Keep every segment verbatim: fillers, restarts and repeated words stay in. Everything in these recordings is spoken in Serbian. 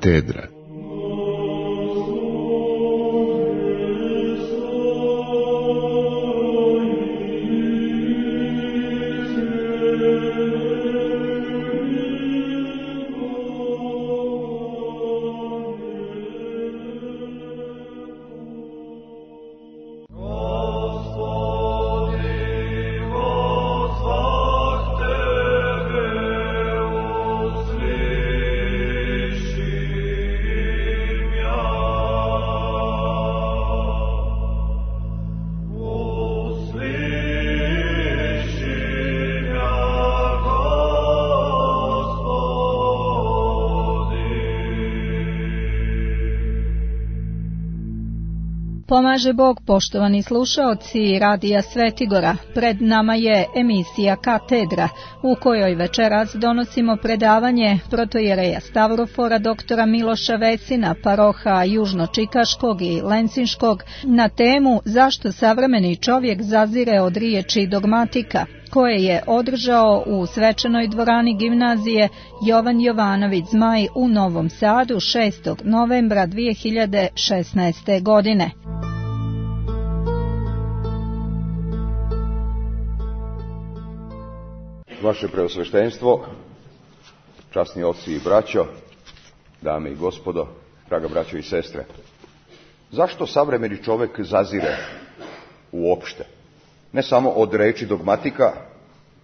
Katedra. Pomaže Bog, poštovani slušaoci Radija Svetigora. Pred nama je emisija Katedra, u kojoj večeras donosimo predavanje protojereja Stavrofora doktora Miloša Vesina, paroha Južno-Čikaškog i Lencinškog, na temu zašto savremeni čovjek zazire od riječi dogmatika, koje je održao u svečanoj dvorani gimnazije Jovan Jovanović Zmaj u Novom Sadu šestog novembra dvije hiljade šesnaeste. godine. Vaše preosveštenstvo, časni oci i braćo, dame i gospodo, draga braćo i sestre, zašto savremeni čovjek zazire uopšte? Ne samo od reči dogmatika,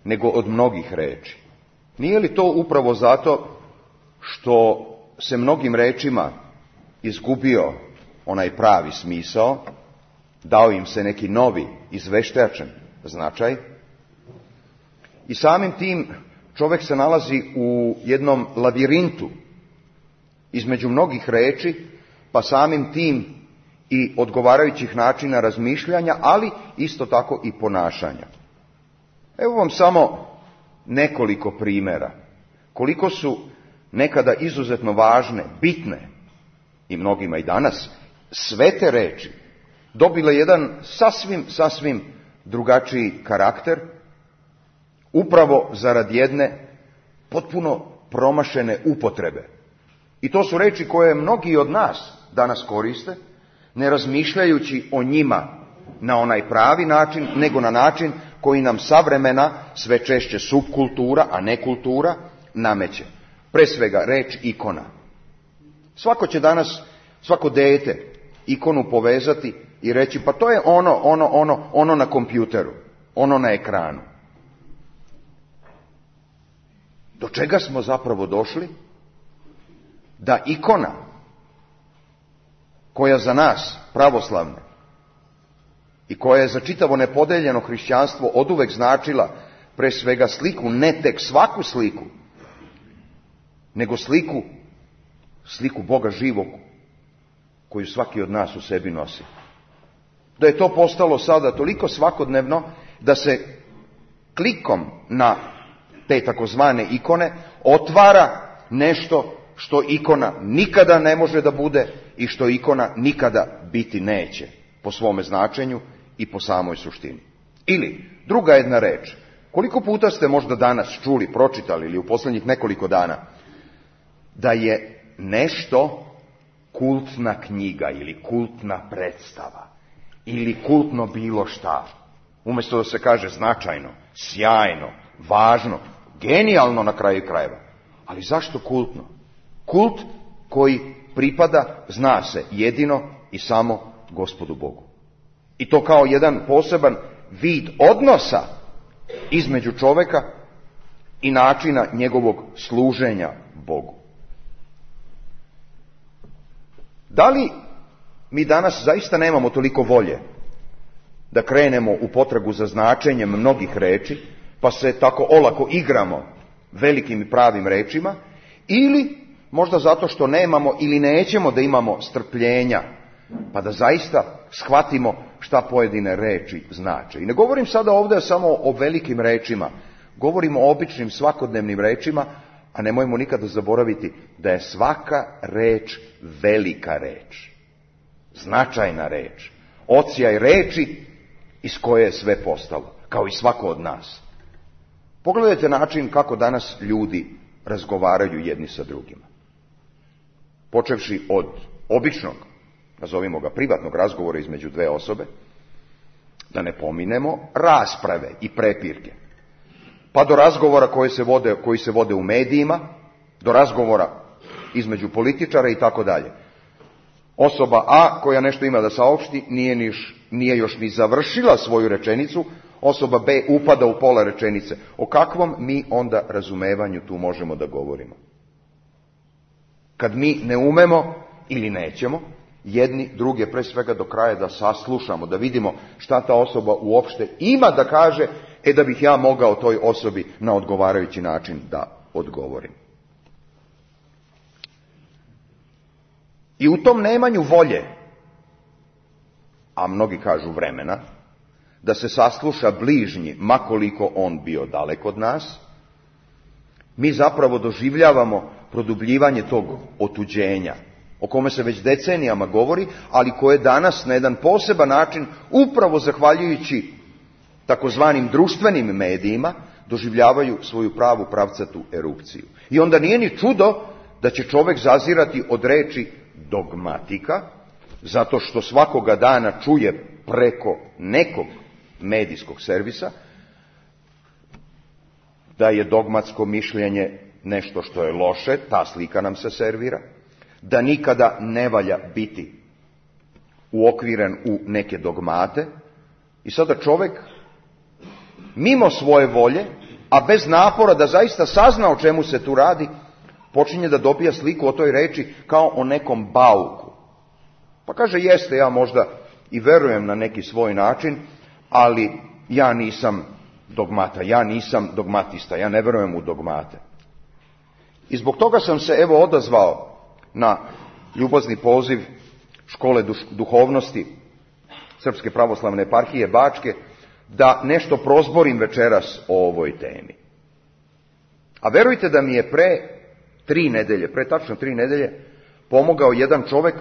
nego od mnogih reči. Nije li to upravo zato što se mnogim rečima izgubio onaj pravi smisao, dao im se neki novi, izveštačen značaj, i samim tim čovjek se nalazi u jednom lavirintu između mnogih reči, pa samim tim i odgovarajućih načina razmišljanja, ali isto tako i ponašanja. Evo vam samo nekoliko primjera koliko su nekada izuzetno važne, bitne i mnogima i danas sve te reči dobile jedan sasvim, sasvim drugačiji karakter, upravo zarad jedne potpuno promašene upotrebe. I to su reči koje mnogi od nas danas koriste, ne razmišljajući o njima na onaj pravi način, nego na način koji nam savremena, sve češće subkultura, a ne kultura, nameće. Pre svega reč ikona. Svako će danas, svako dete, ikonu povezati i reći, pa to je ono, ono, ono, ono na kompjuteru, ono na ekranu. Do čega smo zapravo došli? Da ikona, koja za nas, pravoslavne, i koja je za čitavo nepodeljeno hrišćanstvo oduvek značila pre svega sliku, ne tek svaku sliku, nego sliku, sliku Boga živog, koju svaki od nas u sebi nosi. Da je to postalo sada toliko svakodnevno da se klikom na te takozvane ikone otvara nešto što ikona nikada ne može da bude i što ikona nikada biti neće po svome značenju i po samoj suštini. Ili, druga jedna reč, koliko puta ste možda danas čuli, pročitali ili u posljednjih nekoliko dana, da je nešto kultna knjiga ili kultna predstava ili kultno bilo šta, umjesto da se kaže značajno, sjajno, važno, genijalno na kraju krajeva. Ali zašto kultno? Kult koji pripada, zna se, jedino i samo Gospodu Bogu. I to kao jedan poseban vid odnosa između čovjeka i načina njegovog služenja Bogu. Da li mi danas zaista nemamo toliko volje da krenemo u potragu za značenjem mnogih reči, pa se tako olako igramo velikim i pravim rečima, ili možda zato što nemamo ili nećemo da imamo strpljenja, pa da zaista shvatimo šta pojedine reči znače. I ne govorim sada ovdje samo o velikim rečima, govorim o običnim svakodnevnim rečima, a nemojmo nikada zaboraviti da je svaka reč velika reč, značajna reč, ocijaj reči iz koje je sve postalo, kao i svako od nas. Pogledajte način kako danas ljudi razgovaraju jedni sa drugima. počevši od običnog, nazovimo ga privatnog razgovora između dve osobe, da ne pominemo rasprave i prepirke, pa do razgovora koji se vode, koji se vode u medijima, do razgovora između političara i tako dalje. Osoba A koja nešto ima da saopšti nije, niš, nije još ni završila svoju rečenicu, osoba B upada u pola rečenice. O kakvom mi onda razumevanju tu možemo da govorimo? Kad mi ne umemo ili nećemo jedni druge pre svega do kraja da saslušamo, da vidimo šta ta osoba uopšte ima da kaže, e da bih ja mogao toj osobi na odgovarajući način da odgovorim. I u tom nemanju volje, a mnogi kažu vremena, da se sasluša bližnji, makoliko on bio dalek od nas, mi zapravo doživljavamo produbljivanje tog otuđenja, o kome se već decenijama govori, ali koje danas na jedan poseban način, upravo zahvaljujući takozvanim društvenim medijima, doživljavaju svoju pravu pravcatu erupciju. I onda nije ni čudo da će čovjek zazirati od reči dogmatika, zato što svakoga dana čuje preko nekog medijskog servisa da je dogmatsko mišljenje nešto što je loše, ta slika nam se servira, da nikada ne valja biti uokviren u neke dogmate. I sada čovjek, mimo svoje volje, a bez napora da zaista sazna o čemu se tu radi, počinje da dobija sliku o toj reči kao o nekom bauku. Pa kaže, jeste, ja možda i verujem na neki svoj način, ali ja nisam dogmata, ja nisam dogmatista, ja ne verujem u dogmate. I zbog toga sam se evo odazvao na ljubazni poziv škole duhovnosti Srpske pravoslavne eparhije Bačke da nešto prozborim večeras o ovoj temi. A verujte da mi je pre tri nedelje, pre tačno tri nedelje, pomogao jedan čovjek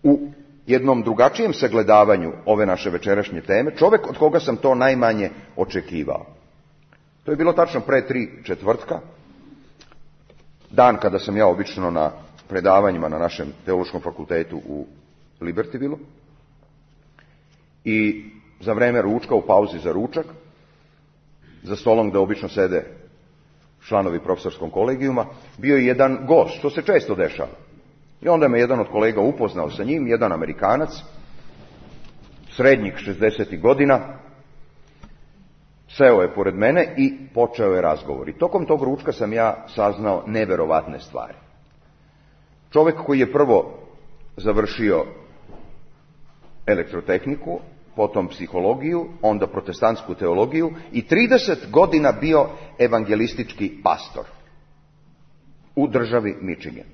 u jednom drugačijem sagledavanju ove naše večerašnje teme, čovjek od koga sam to najmanje očekivao. To je bilo tačno pre tri četvrtka, dan kada sam ja obično na predavanjima na našem teološkom fakultetu u Libertyvilu, i za vreme ručka, u pauzi za ručak, za stolom gde obično sede članovi profesorskog kolegijuma, bio je jedan gost, što se često dešava. I onda me jedan od kolega upoznao sa njim, jedan Amerikanac, srednjih šezdesetih godina, seo je pored mene i počeo je razgovor. I tokom tog ručka sam ja saznao neverovatne stvari. Čovjek koji je prvo završio elektrotehniku, potom psihologiju, onda protestantsku teologiju i trideset godina bio evangelistički pastor u državi Michigan.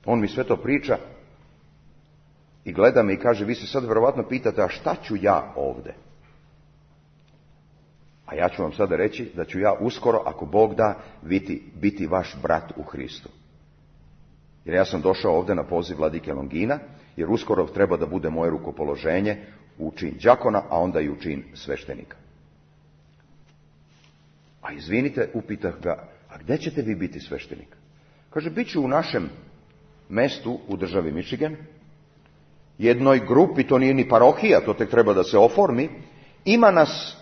On mi sve to priča i gleda me i kaže, vi se sad verovatno pitate, a šta ću ja ovde? A ja ću vam sada reći da ću ja uskoro, ako Bog da, biti, biti vaš brat u Hristu. Jer ja sam došao ovde na poziv vladike Longina, jer uskoro treba da bude moje rukopoloženje u čin đakona, a onda i u čin sveštenika. A izvinite, upitah ga, a gde ćete vi biti sveštenik? Kaže, bit ću u našem mestu u državi Michigan, jednoj grupi, to nije ni parohija, to tek treba da se oformi, ima nas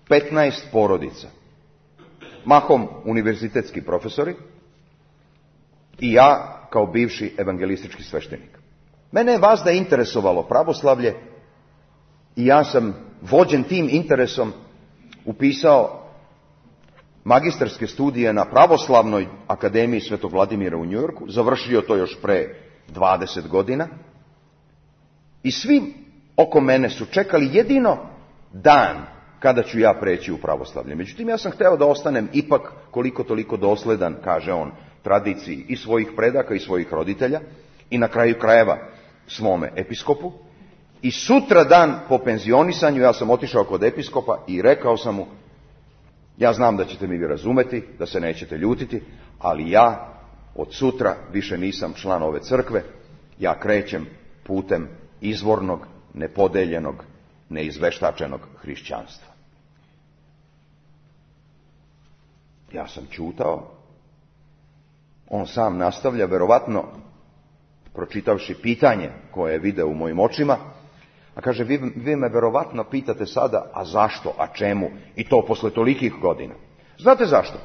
petnaest porodica, mahom univerzitetski profesori i ja kao bivši evangelistički sveštenik. Mene je vazda interesovalo pravoslavlje i ja sam vođen tim interesom upisao magistarske studije na Pravoslavnoj akademiji Svetog Vladimira u Njujorku, završio to još pre dvadeset godina i svi oko mene su čekali jedino dan kada ću ja preći u pravoslavlje. Međutim, ja sam hteo da ostanem ipak koliko toliko dosledan, kaže on, tradiciji i svojih predaka i svojih roditelja i na kraju krajeva svome episkopu. I sutra dan po penzionisanju ja sam otišao kod episkopa i rekao sam mu, ja znam da ćete mi vi razumeti, da se nećete ljutiti, ali ja od sutra više nisam član ove crkve, ja krećem putem izvornog, nepodeljenog, neizveštačenog hrišćanstva. Ja sam ćutao On sam nastavlja, verovatno, pročitavši pitanje koje je video u mojim očima, a kaže, vi, vi me verovatno pitate sada, a zašto, a čemu, i to posle tolikih godina. Znate zašto?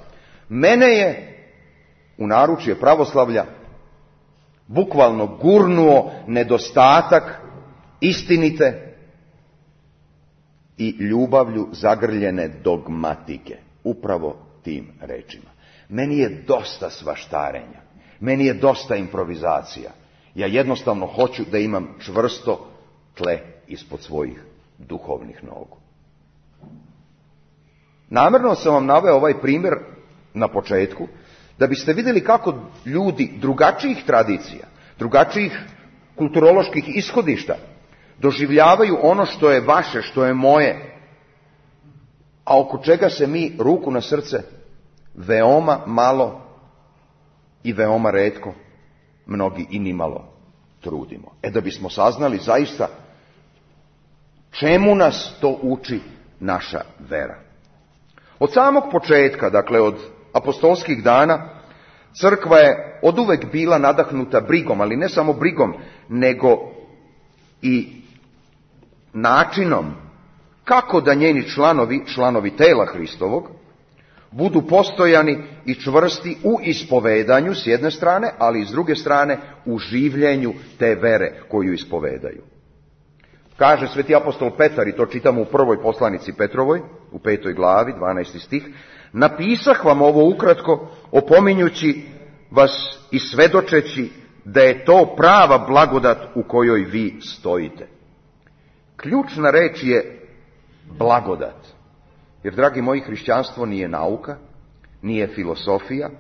Mene je u naručje pravoslavlja bukvalno gurnuo nedostatak istinite i ljubavlju zagrljene dogmatike. Upravo tim rečima. Meni je dosta svaštarenja. Meni je dosta improvizacija. Ja jednostavno hoću da imam čvrsto tle ispod svojih duhovnih nogu. Namjerno sam vam naveo ovaj primjer na početku, da biste vidjeli kako ljudi drugačijih tradicija, drugačijih kulturoloških ishodišta doživljavaju ono što je vaše, što je moje, a oko čega se mi, ruku na srce, veoma malo i veoma retko, mnogi i nimalo trudimo. E da bismo saznali zaista čemu nas to uči naša vera. Od samog početka, dakle od apostolskih dana, crkva je oduvek bila nadahnuta brigom, ali ne samo brigom, nego i načinom kako da njeni članovi, članovi tela Hristovog, budu postojani i čvrsti u ispovedanju s jedne strane, ali i s druge strane u življenju te vere koju ispovedaju. Kaže sveti apostol Petar, i to čitamo u prvoj poslanici Petrovoj, u petoj glavi, dvanaesti stih, napisah vam ovo ukratko, opominjući vas i svedočeći da je to prava blagodat u kojoj vi stojite. Ključna reč je blagodat. Jer, dragi moji, hrišćanstvo nije nauka, nije filosofija,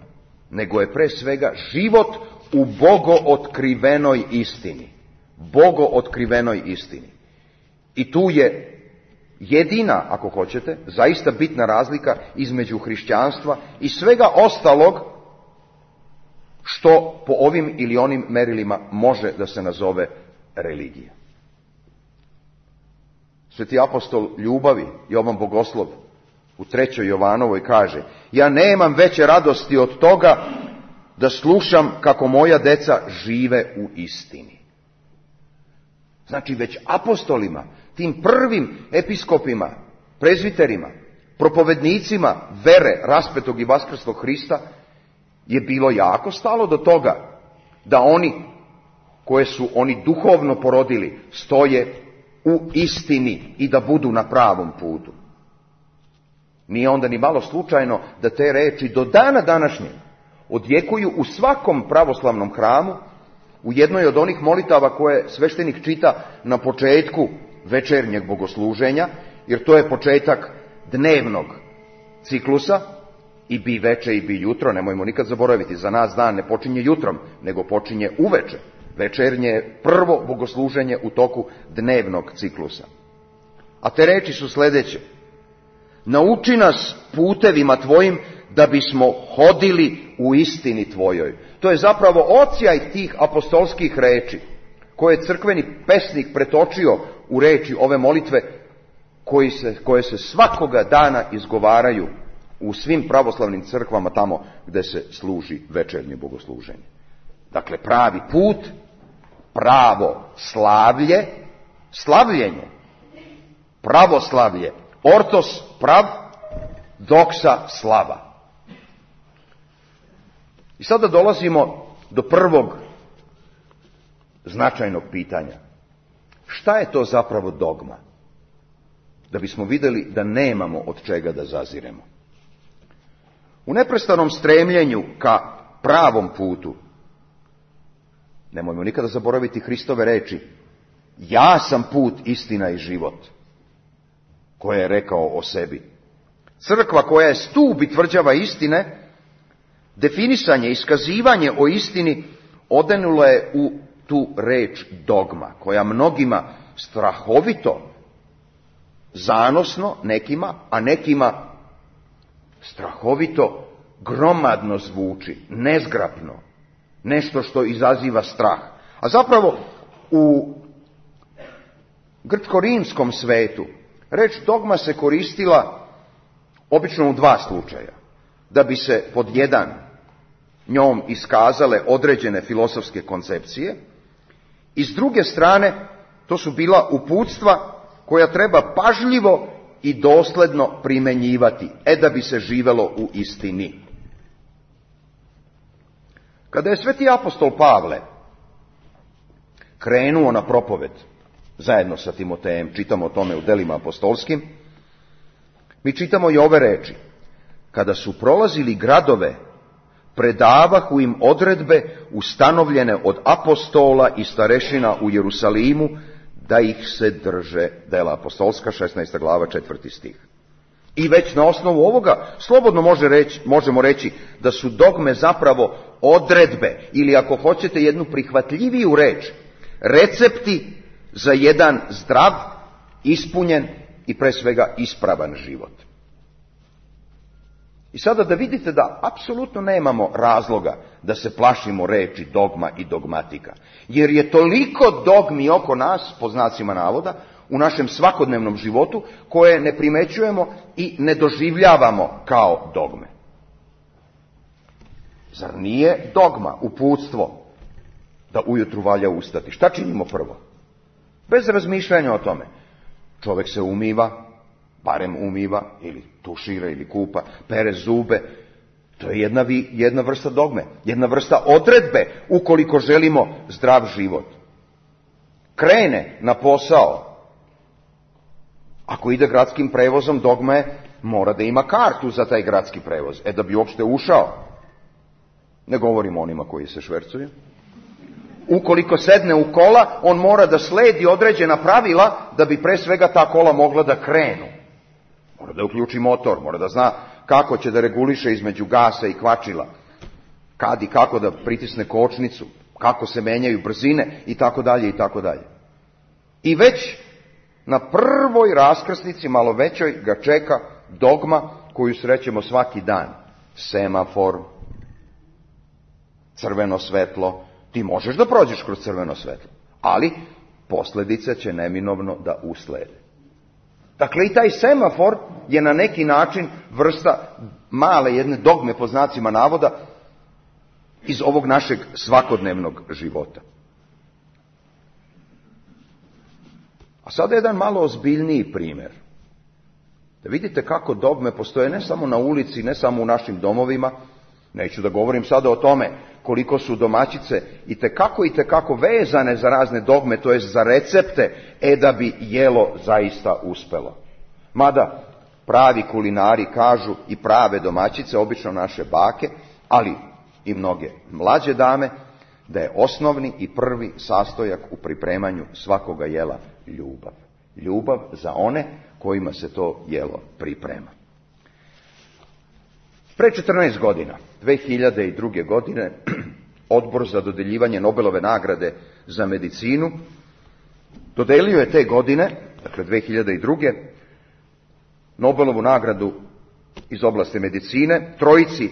nego je pre svega život u bogootkrivenoj istini. Bogootkrivenoj istini. I tu je jedina, ako hoćete, zaista bitna razlika između hrišćanstva i svega ostalog što po ovim ili onim merilima može da se nazove religija. Sveti apostol ljubavi, Jovan Bogoslov, u trećoj Jovanovoj kaže, ja nemam veće radosti od toga da slušam kako moja deca žive u istini. Znači već apostolima, tim prvim episkopima, prezviterima, propovednicima vere raspetog i vaskrslog Hrista je bilo jako stalo do toga da oni koje su oni duhovno porodili stoje u istini i da budu na pravom putu. Nije onda ni malo slučajno da te reči do dana današnjeg odjekuju u svakom pravoslavnom hramu, u jednoj od onih molitava koje sveštenik čita na početku večernjeg bogosluženja, jer to je početak dnevnog ciklusa, i bi veče i bi jutro, nemojmo nikad zaboraviti, za nas dan ne počinje jutrom, nego počinje uveče. Večernje je prvo bogosluženje u toku dnevnog ciklusa. A te reči su sljedeće. Nauči nas putevima tvojim da bismo hodili u istini tvojoj. To je zapravo odsjaj tih apostolskih reči koje je crkveni pesnik pretočio u reči ove molitve koji se, koje se svakoga dana izgovaraju u svim pravoslavnim crkvama tamo gde se služi večernje bogosluženje. Dakle, pravi put, pravo slavlje, slavljenje, pravoslavlje, ortos prav, doksa slava. I sada dolazimo do prvog značajnog pitanja. Šta je to zapravo dogma? Da bismo vidjeli da nemamo od čega da zaziremo. U neprestanom stremljenju ka pravom putu, nemojmo nikada zaboraviti Hristove reči, ja sam put, istina i život, koje je rekao o sebi. Crkva koja je stup i tvrđava istine, definisanje, iskazivanje o istini odenula je u tu reč dogma, koja mnogima strahovito, zanosno nekima, a nekima strahovito, gromadno zvuči, nezgrapno, nešto što izaziva strah. A zapravo u grčko-rimskom svetu reč dogma se koristila obično u dva slučaja. Da bi se pod jedan njom iskazale određene filozofske koncepcije, i s druge strane to su bila uputstva koja treba pažljivo i dosledno primjenjivati, e da bi se živelo u istini. Kada je sveti apostol Pavle krenuo na propoved zajedno sa Timotejem, čitamo o tome u delima apostolskim, mi čitamo i ove reči: kada su prolazili gradove, predavahu im odredbe ustanovljene od apostola i starešina u Jerusalimu, da ih se drže. Dela apostolska, šesnaesta glava, četvrti stih. I već na osnovu ovoga slobodno može reći, možemo reći da su dogme zapravo odredbe, ili ako hoćete jednu prihvatljiviju reč, recepti za jedan zdrav, ispunjen i pre svega ispravan život. I sada da vidite da apsolutno nemamo razloga da se plašimo reči dogma i dogmatika, jer je toliko dogmi oko nas, po znacima navoda, u našem svakodnevnom životu, koje ne primećujemo i ne doživljavamo kao dogme. Zar nije dogma, uputstvo, da ujutru valja ustati? Šta činimo prvo? Bez razmišljanja o tome. Čovjek se umiva, barem umiva, ili tušira, ili kupa, pere zube. To je jedna, jedna vrsta dogme, jedna vrsta odredbe, ukoliko želimo zdrav život. Krene na posao. Ako ide gradskim prevozom, dogma je, mora da ima kartu za taj gradski prevoz, e da bi uopšte ušao. Ne govorim o onima koji se švercuju. Ukoliko sedne u kola, on mora da sledi određena pravila da bi pre svega ta kola mogla da krenu. Mora da uključi motor, mora da zna kako će da reguliše između gasa i kvačila, kad i kako da pritisne kočnicu, kako se menjaju brzine i tako dalje i tako dalje. I već na prvoj raskrsnici, malo većoj, ga čeka dogma koju srećemo svaki dan. Semafor, crveno svetlo. Ti možeš da prođeš kroz crveno svetlo, ali posljedice će neminovno da uslede. Dakle, i taj semafor je na neki način vrsta male jedne dogme, po znacima navoda, iz ovog našeg svakodnevnog života. A sada jedan malo ozbiljniji primjer. Da vidite kako dogme postoje ne samo na ulici, ne samo u našim domovima. Neću da govorim sada o tome koliko su domaćice i tekako i tekako vezane za razne dogme, to jest za recepte, e da bi jelo zaista uspelo. Mada pravi kulinari kažu, i prave domaćice, obično naše bake, ali i mnoge mlađe dame, da je osnovni i prvi sastojak u pripremanju svakoga jela ljubav. Ljubav za one kojima se to jelo priprema. Pre četrnaest godina, dve hiljade druge. godine, Odbor za dodeljivanje Nobelove nagrade za medicinu dodelio je te godine, dakle dve hiljade druge. Nobelovu nagradu iz oblasti medicine trojici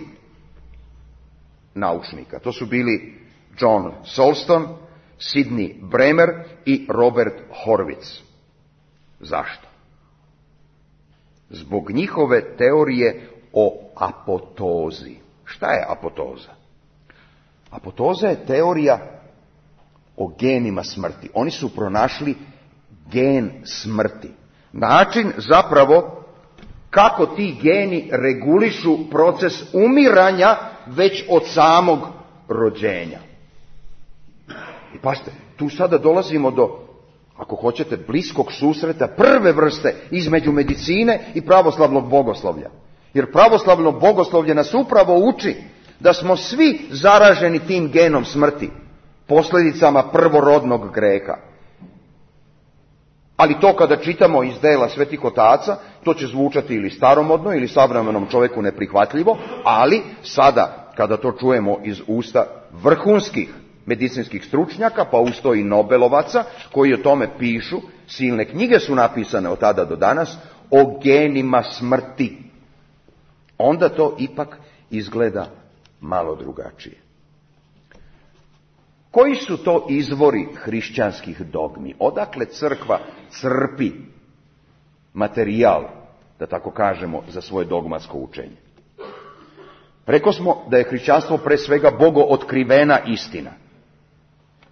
naučnika. To su bili John Solston, Sidney Bremer i Robert Horwitz. Zašto? Zbog njihove teorije o apotozi. Šta je apotoza? Apotoza je teorija o genima smrti. Oni su pronašli gen smrti. Način zapravo kako ti geni regulišu proces umiranja već od samog rođenja. I pazite, tu sada dolazimo do, ako hoćete, bliskog susreta prve vrste između medicine i pravoslavnog bogoslovlja. Jer pravoslavno bogoslovlje nas upravo uči da smo svi zaraženi tim genom smrti, posljedicama prvorodnog greha. Ali to kada čitamo iz dela svetih otaca, to će zvučati ili staromodno ili savremenom čovjeku neprihvatljivo, ali sada kada to čujemo iz usta vrhunskih medicinskih stručnjaka, pa usto i Nobelovaca, koji o tome pišu, silne knjige su napisane od tada do danas, o genima smrti, onda to ipak izgleda malo drugačije. Koji su to izvori hrišćanskih dogmi? Odakle crkva crpi materijal, da tako kažemo, za svoje dogmatsko učenje? Rekao smo da je hrišćanstvo pre svega Bogo otkrivena istina.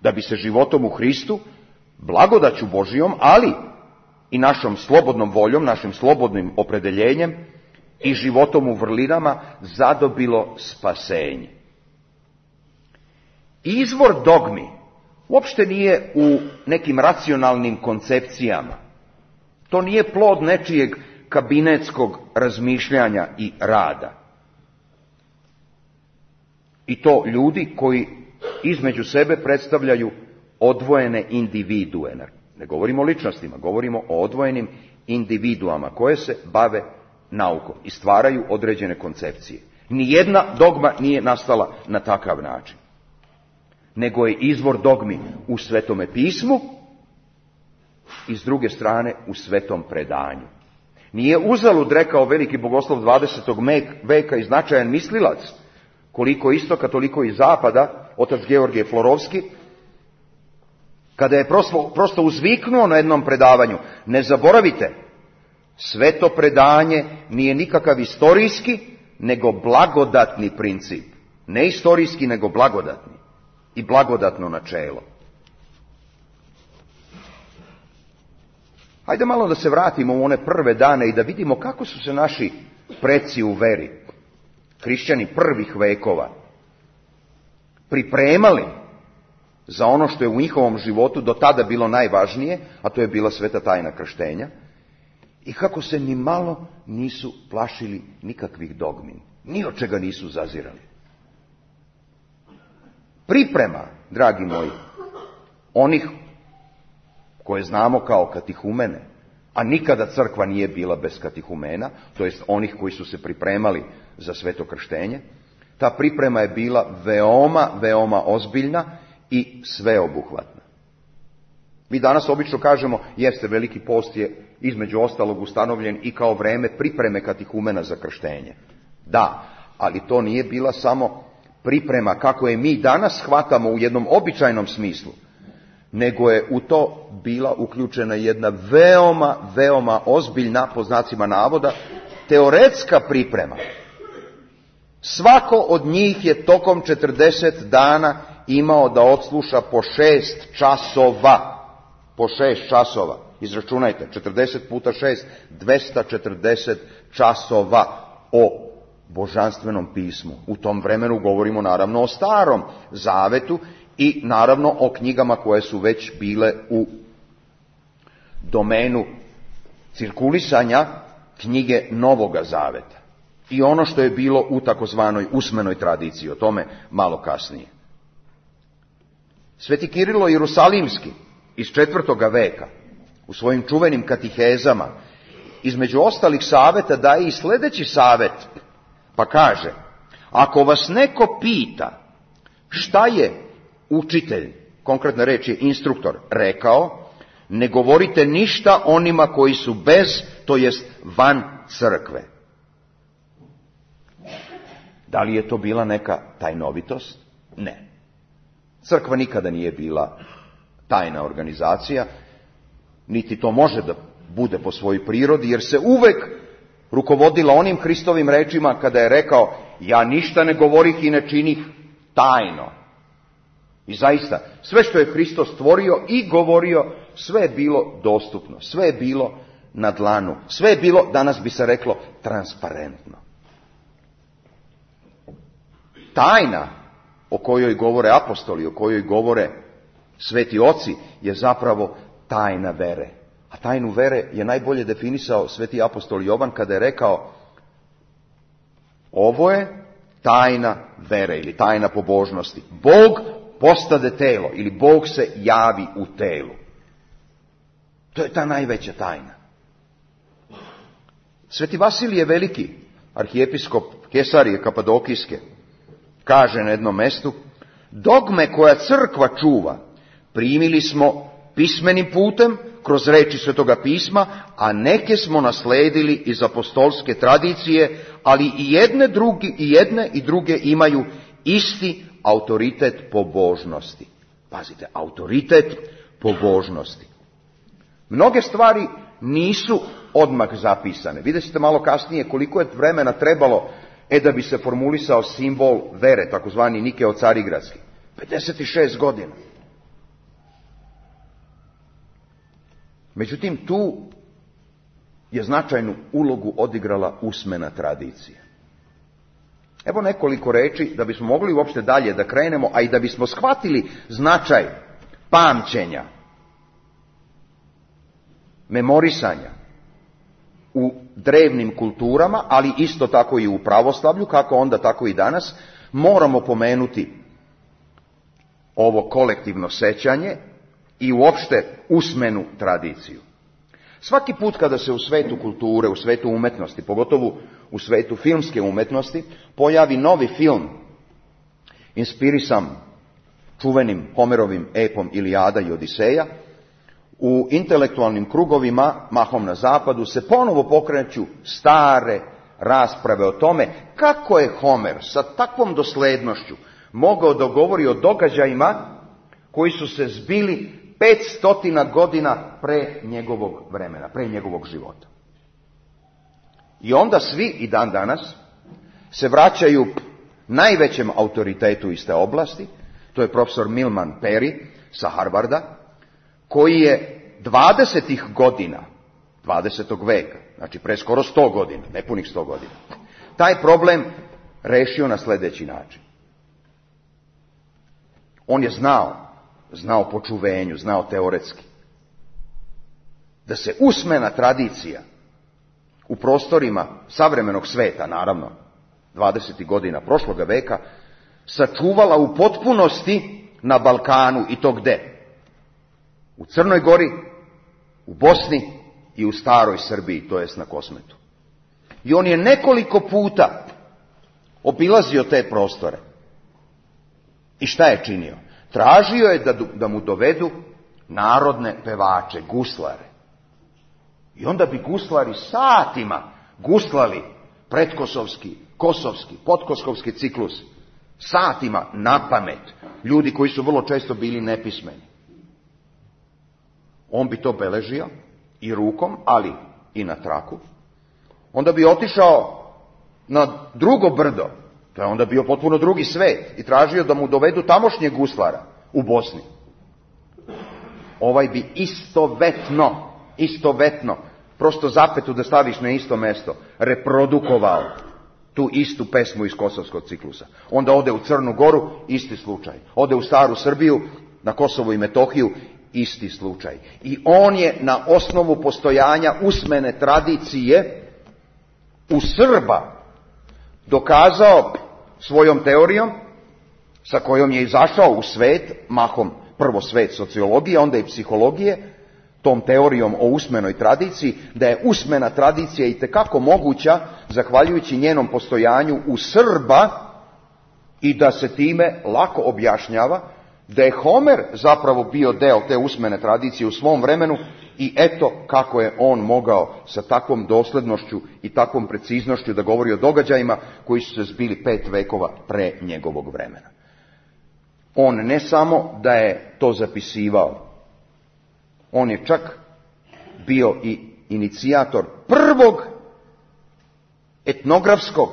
Da bi se životom u Hristu, blagodaću Božijom, ali i našom slobodnom voljom, našim slobodnim opredeljenjem i životom u vrlinama zadobilo spasenje. Izvor dogmi uopšte nije u nekim racionalnim koncepcijama. To nije plod nečijeg kabinetskog razmišljanja i rada. I to ljudi koji između sebe predstavljaju odvojene individue. Ne govorimo o ličnostima, govorimo o odvojenim individuama koje se bave naukom i stvaraju određene koncepcije. Nijedna dogma nije nastala na takav način, nego je izvor dogmi u Svetome pismu i s druge strane u Svetom predanju. Nije uzalud rekao veliki bogoslov dvadesetog veka i značajan mislilac, koliko istoka, toliko i zapada, otac Georgije Florovski, kada je prosto, prosto uzviknuo na jednom predavanju: ne zaboravite, sveto predanje nije nikakav istorijski, nego blagodatni princip. Ne istorijski, nego blagodatni. I blagodatno načelo. Hajde malo da se vratimo u one prve dane i da vidimo kako su se naši preci u veri, hrišćani prvih vekova, pripremali za ono što je u njihovom životu do tada bilo najvažnije, a to je bila sveta tajna krštenja, i kako se ni malo nisu plašili nikakvih dogmi, ni od čega nisu zazirali. Priprema, dragi moji, onih koje znamo kao katihumene, a nikada crkva nije bila bez katihumena, to jest onih koji su se pripremali za sveto krštenje, ta priprema je bila veoma, veoma ozbiljna i sveobuhvatna. Mi danas obično kažemo, jeste, veliki post je između ostalog ustanovljen i kao vreme pripreme katihumena za krštenje. Da, ali to nije bila samo priprema kako je mi danas shvatamo u jednom običajnom smislu, nego je u to bila uključena jedna veoma, veoma ozbiljna, po znacima navoda, teoretska priprema. Svako od njih je tokom četrdeset dana imao da odsluša po šest časova. Po šest časova. Izračunajte, četrdeset puta šest, dvesta četrdeset časova o božanstvenom pismu. U tom vremenu govorimo naravno o Starom zavetu i naravno o knjigama koje su već bile u domenu cirkulisanja knjige Novoga zaveta. I ono što je bilo u takozvanoj usmenoj tradiciji, o tome malo kasnije. Sveti Kirilo Jerusalimski iz četvrtoga veka u svojim čuvenim katihezama između ostalih saveta daje i sljedeći savet, pa kaže: ako vas neko pita šta je učitelj, konkretna reč je instruktor, rekao, ne govorite ništa onima koji su bez, to jest van crkve. Da li je to bila neka tajnovitost? Ne. Crkva nikada nije bila tajna organizacija, niti to može da bude po svojoj prirodi, jer se uvek rukovodila onim Hristovim rečima kada je rekao: ja ništa ne govorih i ne činih tajno. I zaista, sve što je Hristos stvorio i govorio, sve je bilo dostupno, sve je bilo na dlanu, sve je bilo, danas bi se reklo, transparentno. Tajna o kojoj govore apostoli, o kojoj govore sveti oci, je zapravo tajna vere. A tajnu vere je najbolje definisao sveti apostol Jovan kada je rekao: ovo je tajna vere ili tajna pobožnosti. Bog postade telo ili Bog se javi u telu. To je ta najveća tajna. Sveti Vasilije Veliki, arhijepiskop Kesarije Kapadokijske, kaže na jednom mestu: dogme koja crkva čuva primili smo pismenim putem kroz reči Svetoga pisma, a neke smo nasledili iz apostolske tradicije, ali i jedne, drugi, i jedne i druge imaju isti autoritet pobožnosti. Pazite, autoritet pobožnosti. Mnoge stvari nisu odmah zapisane. Vidjet ćete malo kasnije koliko je vremena trebalo e da bi se formulisao simbol vere, takozvani Nikeo Carigradski. pedeset šest godina. Međutim, tu je značajnu ulogu odigrala usmena tradicija. Evo nekoliko reči da bismo mogli uopšte dalje da krenemo, a i da bismo shvatili značaj pamćenja, memorisanja u drevnim kulturama, ali isto tako i u pravoslavlju, kako onda tako i danas, moramo pomenuti ovo kolektivno sećanje i uopšte usmenu tradiciju. Svaki put kada se u svetu kulture, u svetu umetnosti, pogotovo u svetu filmske umetnosti, pojavi novi film inspirisan čuvenim Homerovim epom Ilijada i Odiseja, u intelektualnim krugovima, mahom na zapadu, se ponovo pokreću stare rasprave o tome kako je Homer sa takvom doslednošću mogao da govori o događajima koji su se zbili petstotina godina pre njegovog vremena, pre njegovog života. I onda svi i dan danas se vraćaju najvećem autoritetu iz te oblasti, to je profesor Milman Perry sa Harvarda, koji je dvadesetih godina, dvadesetog veka, znači pre skoro sto godina, nepunih sto godina, taj problem rešio na sljedeći način. On je znao, znao po čuvenju, znao teoretski, da se usmena tradicija u prostorima savremenog sveta, naravno, dvadesetih godina prošloga veka, sačuvala u potpunosti na Balkanu, i to gde? U Crnoj Gori, u Bosni i u staroj Srbiji, to jest na Kosmetu. I on je nekoliko puta obilazio te prostore. I šta je činio? Tražio je da, da mu dovedu narodne pevače, guslare. I onda bi guslari satima guslali pretkosovski, kosovski, podkosovski ciklus. Satima na pamet. Ljudi koji su vrlo često bili nepismeni. On bi to beležio i rukom, ali i na traku. Onda bi otišao na drugo brdo, to je onda bio potpuno drugi svet, i tražio da mu dovedu tamošnjeg guslara u Bosni. Ovaj bi istovetno, istovetno, prosto zapetu da staviš na isto mesto, reprodukovao tu istu pesmu iz kosovskog ciklusa. Onda ode u Crnu Goru, isti slučaj. Ode u staru Srbiju, na Kosovo i Metohiju, isti slučaj. I on je na osnovu postojanja usmene tradicije u Srba dokazao svojom teorijom, sa kojom je izašao u svet, mahom prvo svet sociologije, onda i psihologije, tom teorijom o usmenoj tradiciji, da je usmena tradicija itekako moguća zahvaljujući njenom postojanju u Srba i da se time lako objašnjava da je Homer zapravo bio deo te usmene tradicije u svom vremenu i eto kako je on mogao sa takvom doslednošću i takvom preciznošću da govori o događajima koji su se zbili pet vekova pre njegovog vremena. On ne samo da je to zapisivao, on je čak bio i inicijator prvog etnografskog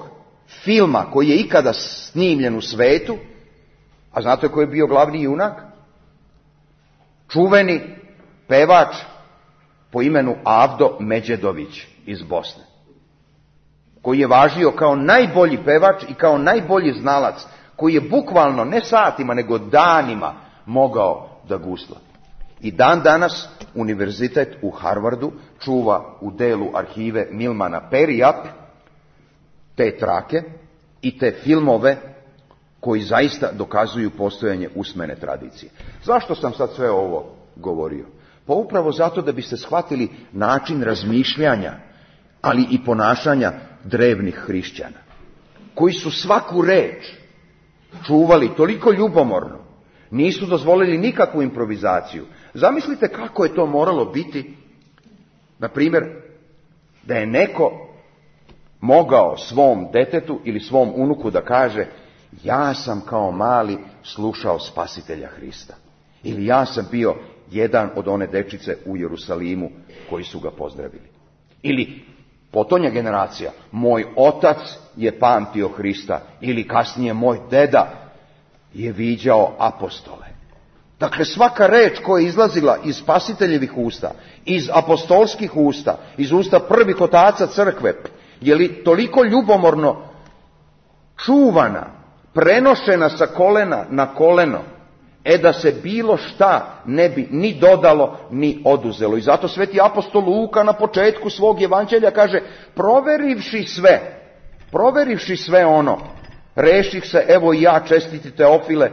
filma koji je ikada snimljen u svetu. A znate koji je bio glavni junak? Čuveni pevač po imenu Avdo Međedović iz Bosne, koji je važio kao najbolji pevač i kao najbolji znalac, koji je bukvalno ne satima nego danima mogao da gusla. I dan danas univerzitet u Harvardu čuva u delu arhive Milmana Perija te trake i te filmove koji zaista dokazuju postojanje usmene tradicije. Zašto sam sad sve ovo govorio? Pa upravo zato da biste shvatili način razmišljanja, ali i ponašanja drevnih hrišćana, koji su svaku reč čuvali toliko ljubomorno, nisu dozvolili nikakvu improvizaciju. Zamislite kako je to moralo biti, na primjer, da je neko mogao svom detetu ili svom unuku da kaže: ja sam kao mali slušao Spasitelja Hrista. Ili ja sam bio jedan od one dečice u Jerusalimu koji su ga pozdravili. Ili Potonja generacija, moj otac je pamtio Hrista, ili kasnije moj deda je viđao apostole. Dakle, svaka reč koja je izlazila iz spasiteljevih usta, iz apostolskih usta, iz usta prvih otaca crkve, je li toliko ljubomorno čuvana, prenošena sa kolena na koleno, e da se bilo šta ne bi ni dodalo, ni oduzelo. I zato sveti apostol Luka na početku svog evanđelja kaže, proverivši sve, proverivši sve ono, reših se, evo i ja, čestiti Teofile,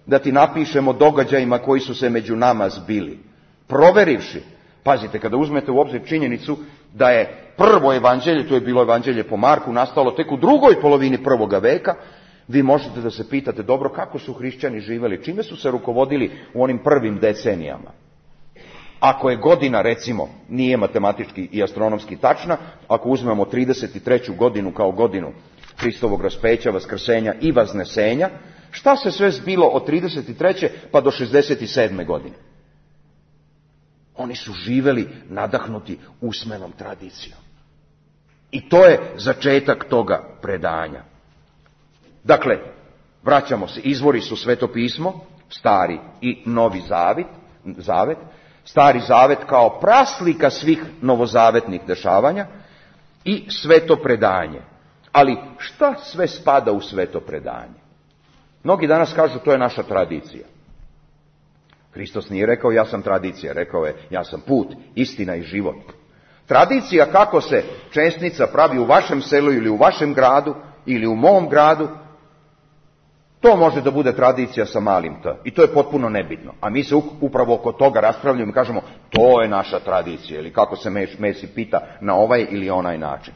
da ti napišemo događajima koji su se među nama zbili. Proverivši. Pazite, kada uzmete u obzir činjenicu da je prvo evanđelje, to je bilo evanđelje po Marku, nastalo tek u drugoj polovini prvoga veka, vi možete da se pitate, dobro, kako su hrišćani živjeli, čime su se rukovodili u onim prvim decenijama. Ako je godina, recimo, nije matematički i astronomski tačna, ako uzmemo trideset treću godinu kao godinu Hristovog raspeća, vaskrsenja i vaznesenja, šta se sve zbilo od trideset treće pa do šezdeset sedme godine? Oni su živjeli nadahnuti usmenom tradicijom. I to je začetak toga predanja. Dakle, vraćamo se, izvori su Sveto pismo, Stari i Novi zavet, zavet, Stari zavet kao praslika svih novozavetnih dešavanja i sveto predanje. Ali šta sve spada u sveto predanje? Mnogi danas kažu, to je naša tradicija. Hristos nije rekao ja sam tradicija, rekao je ja sam put, istina i život. Tradicija kako se česnica pravi u vašem selu ili u vašem gradu ili u mom gradu, to može da bude tradicija sa malim t. I to je potpuno nebitno. A mi se upravo oko toga raspravljamo i kažemo to je naša tradicija. Ili kako se Mesi pita na ovaj ili onaj način.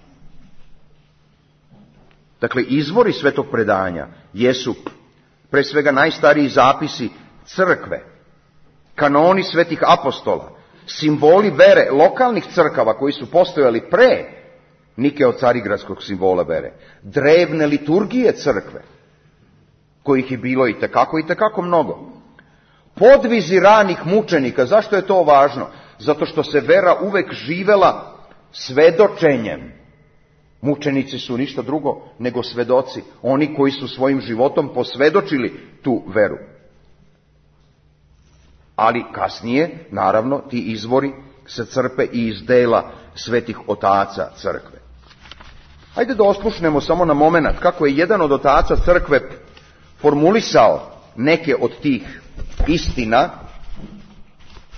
Dakle, izvori svetog predanja jesu pre svega najstariji zapisi crkve, kanoni svetih apostola, simboli vere lokalnih crkava koji su postojali pre Nikeo-carigradskog simbola vere, drevne liturgije crkve, kojih je bilo i tekako i tekako mnogo. Podvizi ranih mučenika, zašto je to važno? Zato što se vera uvek živela svedočenjem. Mučenici su ništa drugo nego svedoci, oni koji su svojim životom posvedočili tu veru. Ali kasnije, naravno, ti izvori se crpe i iz dela svetih otaca crkve. Hajde da oslušnemo samo na moment kako je jedan od otaca crkve formulisao neke od tih istina,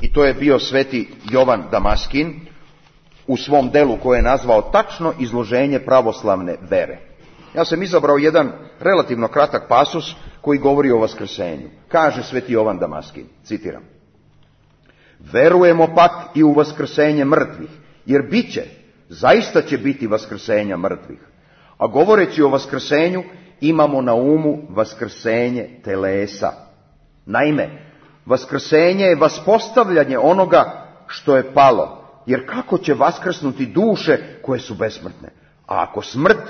i to je bio sveti Jovan Damaskin, u svom delu koje je nazvao tačno izloženje pravoslavne vere. Ja sam izabrao jedan relativno kratak pasus koji govori o vaskrsenju. Kaže sveti Jovan Damaskin, citiram: verujemo pak i u vaskrsenje mrtvih, jer bit će, zaista će biti vaskrsenja mrtvih. A govoreći o vaskrsenju, imamo na umu vaskrsenje telesa. Naime, vaskrsenje je vaspostavljanje onoga što je palo, jer kako će vaskrsnuti duše koje su besmrtne? A ako smrt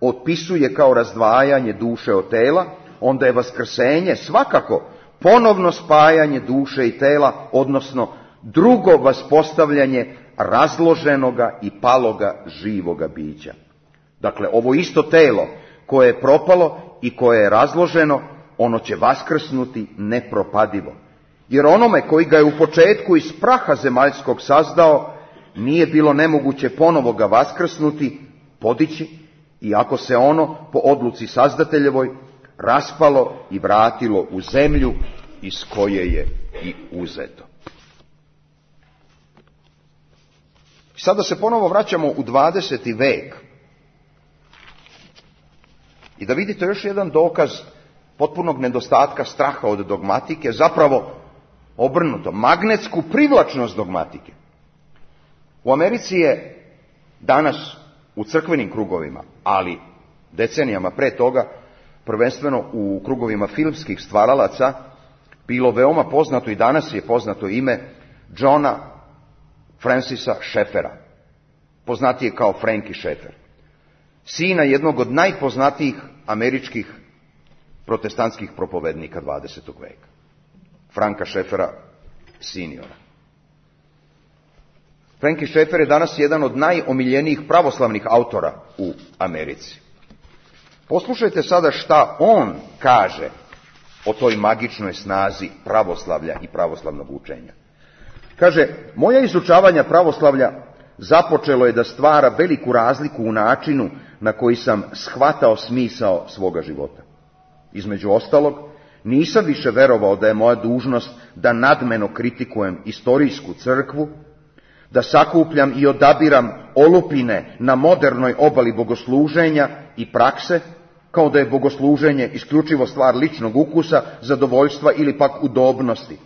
opisuje kao razdvajanje duše od tela, onda je vaskrsenje svakako ponovno spajanje duše i tela, odnosno drugo vaspostavljanje razloženoga i paloga živoga bića. Dakle, ovo isto telo koje je propalo i koje je razloženo, ono će vaskrsnuti nepropadivo. Jer onome koji ga je u početku iz praha zemaljskog sazdao, nije bilo nemoguće ponovo ga vaskrsnuti, podići, iako se ono, po odluci sazdateljevoj, raspalo i vratilo u zemlju iz koje je i uzeto. Sada se ponovo vraćamo u dvadeseti vek. I da vidite još jedan dokaz potpunog nedostatka straha od dogmatike, zapravo obrnuto, magnetsku privlačnost dogmatike. U Americi je danas u crkvenim krugovima, ali decenijama pre toga, prvenstveno u krugovima filmskih stvaralaca, bilo veoma poznato i danas je poznato ime Johna Francisa Schaeffera, poznatije kao Frankie Schaeffer, sina jednog od najpoznatijih američkih protestantskih propovednika dvadesetog veka, Franka Schaeffera seniora. Franklin Schaeffer je danas jedan od najomiljenijih pravoslavnih autora u Americi. Poslušajte sada šta on kaže o toj magičnoj snazi pravoslavlja i pravoslavnog učenja. Kaže, moja izučavanja pravoslavlja započelo je da stvara veliku razliku u načinu na koji sam shvatao smisao svoga života. Između ostalog, nisam više verovao da je moja dužnost da nadmeno kritikujem istorijsku crkvu, da sakupljam i odabiram olupine na modernoj obali bogosluženja i prakse, kao da je bogosluženje isključivo stvar ličnog ukusa, zadovoljstva ili pak udobnosti.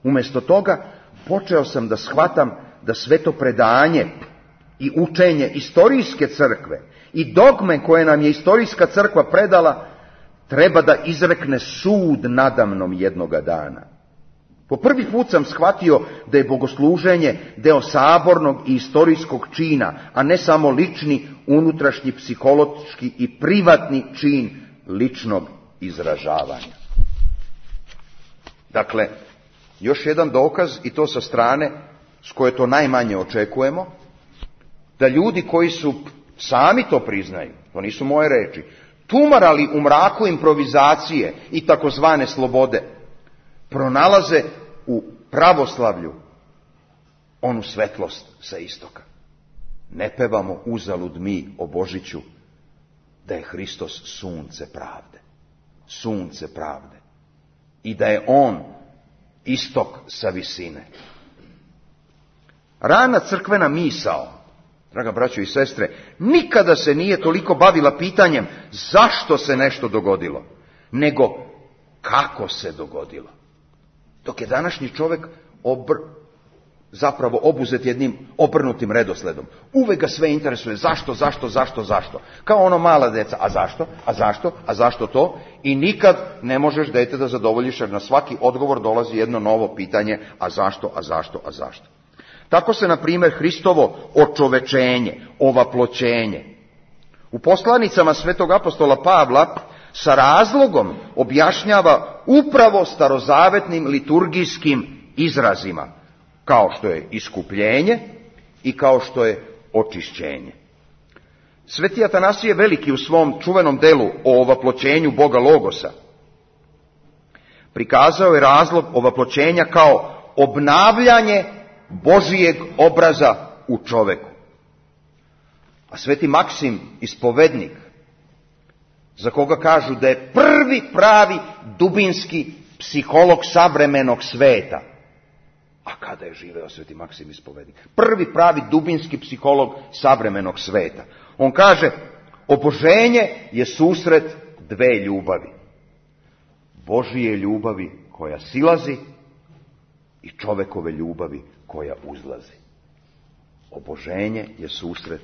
Umjesto toga, počeo sam da shvatam da sve to predanje i učenje istorijske crkve i dogme koje nam je istorijska crkva predala treba da izrekne sud nadamnom jednoga dana. Po prvi put sam shvatio da je bogosluženje deo sabornog i istorijskog čina, a ne samo lični, unutrašnji, psihološki i privatni čin ličnog izražavanja. Dakle, još jedan dokaz, i to sa strane s koje to najmanje očekujemo, da ljudi koji su, sami to priznaju, to nisu moje reči, tumarali u mraku improvizacije i takozvane slobode, pronalaze u pravoslavlju onu svetlost sa istoka. Ne pevamo uzalud mi o Božiću da je Hristos sunce pravde. Sunce pravde. I da je on istok sa visine. Rana crkvena misao, draga braćo i sestre, nikada se nije toliko bavila pitanjem zašto se nešto dogodilo, nego kako se dogodilo. Dok je današnji čovjek obr, zapravo obuzet jednim obrnutim redosledom. Uvek ga sve interesuje zašto, zašto, zašto, zašto. Kao ono mala deca, a zašto, a zašto, a zašto to? I nikad ne možeš dete da zadovoljiš, jer na svaki odgovor dolazi jedno novo pitanje, a zašto, a zašto, a zašto. Tako se, na primjer, Hristovo očovečenje, ovaploćenje, u poslanicama svetog apostola Pavla sa razlogom objašnjava upravo starozavetnim liturgijskim izrazima, kao što je iskupljenje i kao što je očišćenje. Sveti Atanasije Veliki u svom čuvenom delu o ovaploćenju Boga Logosa prikazao je razlog ovaploćenja kao obnavljanje Božijeg obraza u čoveku. A sveti Maksim Ispovednik, za koga kažu da je prvi pravi dubinski psiholog savremenog sveta, a kada je živeo sveti Maksim Ispovednik, prvi pravi dubinski psiholog savremenog sveta, on kaže, oboženje je susret dve ljubavi. Božije ljubavi koja silazi i čovekove ljubavi koja uzlazi. Oboženje je susret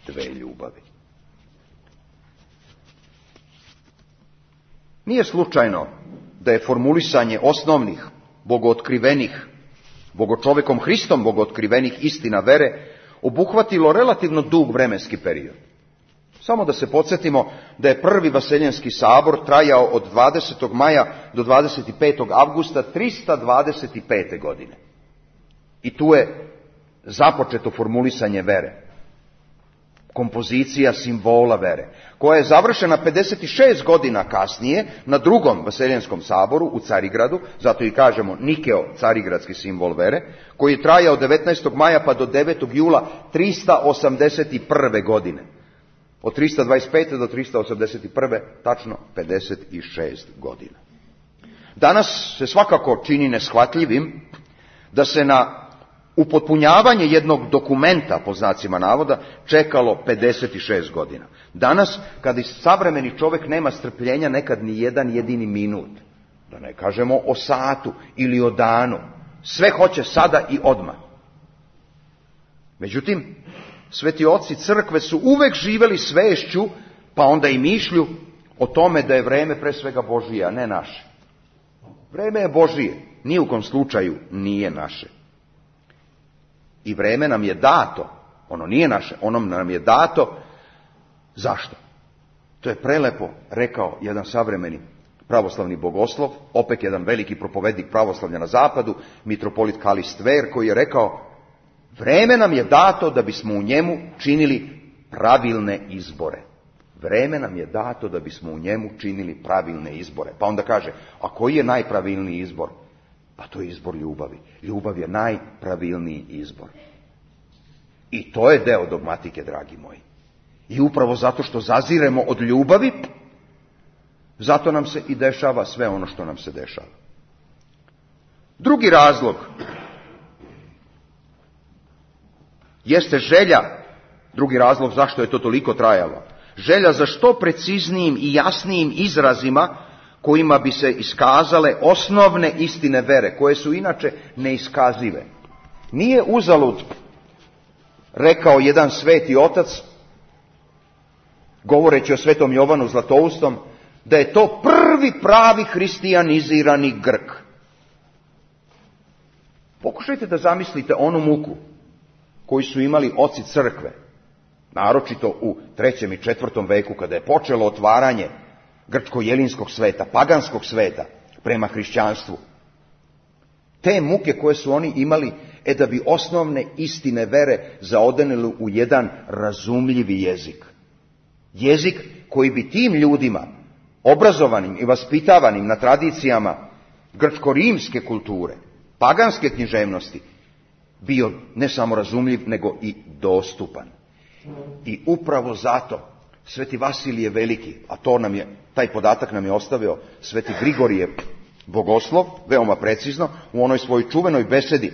dve ljubavi. Nije slučajno da je formulisanje osnovnih, bogootkrivenih, bogočovekom Hristom bogootkrivenih istina vere obuhvatilo relativno dug vremenski period. Samo da se podsjetimo da je prvi Vaseljenski sabor trajao od dvadesetog maja do dvadeset petog avgusta trista dvadeset pete. godine. I tu je započeto formulisanje vere. Kompozicija simbola vere, koja je završena pedeset šest godina kasnije na drugom Vaseljenskom saboru u Carigradu, zato i kažemo Nikeo, carigradski simbol vere, koji je trajao devetnaestog maja pa do devetog jula trista osamdeset prve. godine. Od trista dvadeset pete do trista osamdeset prve. tačno pedeset šest godina. Danas se svakako čini neshvatljivim da se na upotpunjavanje jednog dokumenta, po znacima navoda, čekalo pedeset šest godina. Danas, kad i savremeni čovjek nema strpljenja nekad ni jedan jedini minut, da ne kažemo o satu ili o danu, sve hoće sada i odmah. Međutim, sveti oci crkve su uvek živjeli svešću, pa onda i mišlju o tome da je vreme pre svega Božije, a ne naše. Vreme je Božije, ni u kom slučaju nije naše. I vreme nam je dato, ono nije naše, ono nam je dato. Zašto? To je prelepo rekao jedan savremeni pravoslavni bogoslov, opet jedan veliki propovednik pravoslavlja na zapadu, mitropolit Kalist Ver, koji je rekao, Vreme nam je dato da bismo u njemu činili pravilne izbore. Vreme nam je dato da bismo u njemu činili pravilne izbore. Pa onda kaže, a koji je najpravilniji izbor? Pa to je izbor ljubavi. Ljubav je najpravilniji izbor. I to je deo dogmatike, dragi moji. I upravo zato što zaziremo od ljubavi, zato nam se i dešava sve ono što nam se dešava. Drugi razlog jeste želja, drugi razlog zašto je to toliko trajalo, želja za što preciznijim i jasnijim izrazima kojima bi se iskazale osnovne istine vere, koje su inače neiskazive. Nije uzalud rekao jedan sveti otac, govoreći o svetom Jovanu Zlatoustom, da je to prvi pravi hristijanizirani Grk. Pokušajte da zamislite onu muku koju su imali oci crkve, naročito u trećem i četvrtom veku, kada je počelo otvaranje grčko-jelinskog sveta, paganskog sveta prema hrišćanstvu. Te muke koje su oni imali, e da bi osnovne istine vere zaodenili u jedan razumljivi jezik. Jezik koji bi tim ljudima, obrazovanim i vaspitavanim na tradicijama grčko-rimske kulture, paganske književnosti, bio ne samo razumljiv, nego i dostupan. I upravo zato sveti Vasilije Veliki, a to nam je, taj podatak nam je ostavio sveti Grigorije Bogoslov, veoma precizno, u onoj svojoj čuvenoj besedi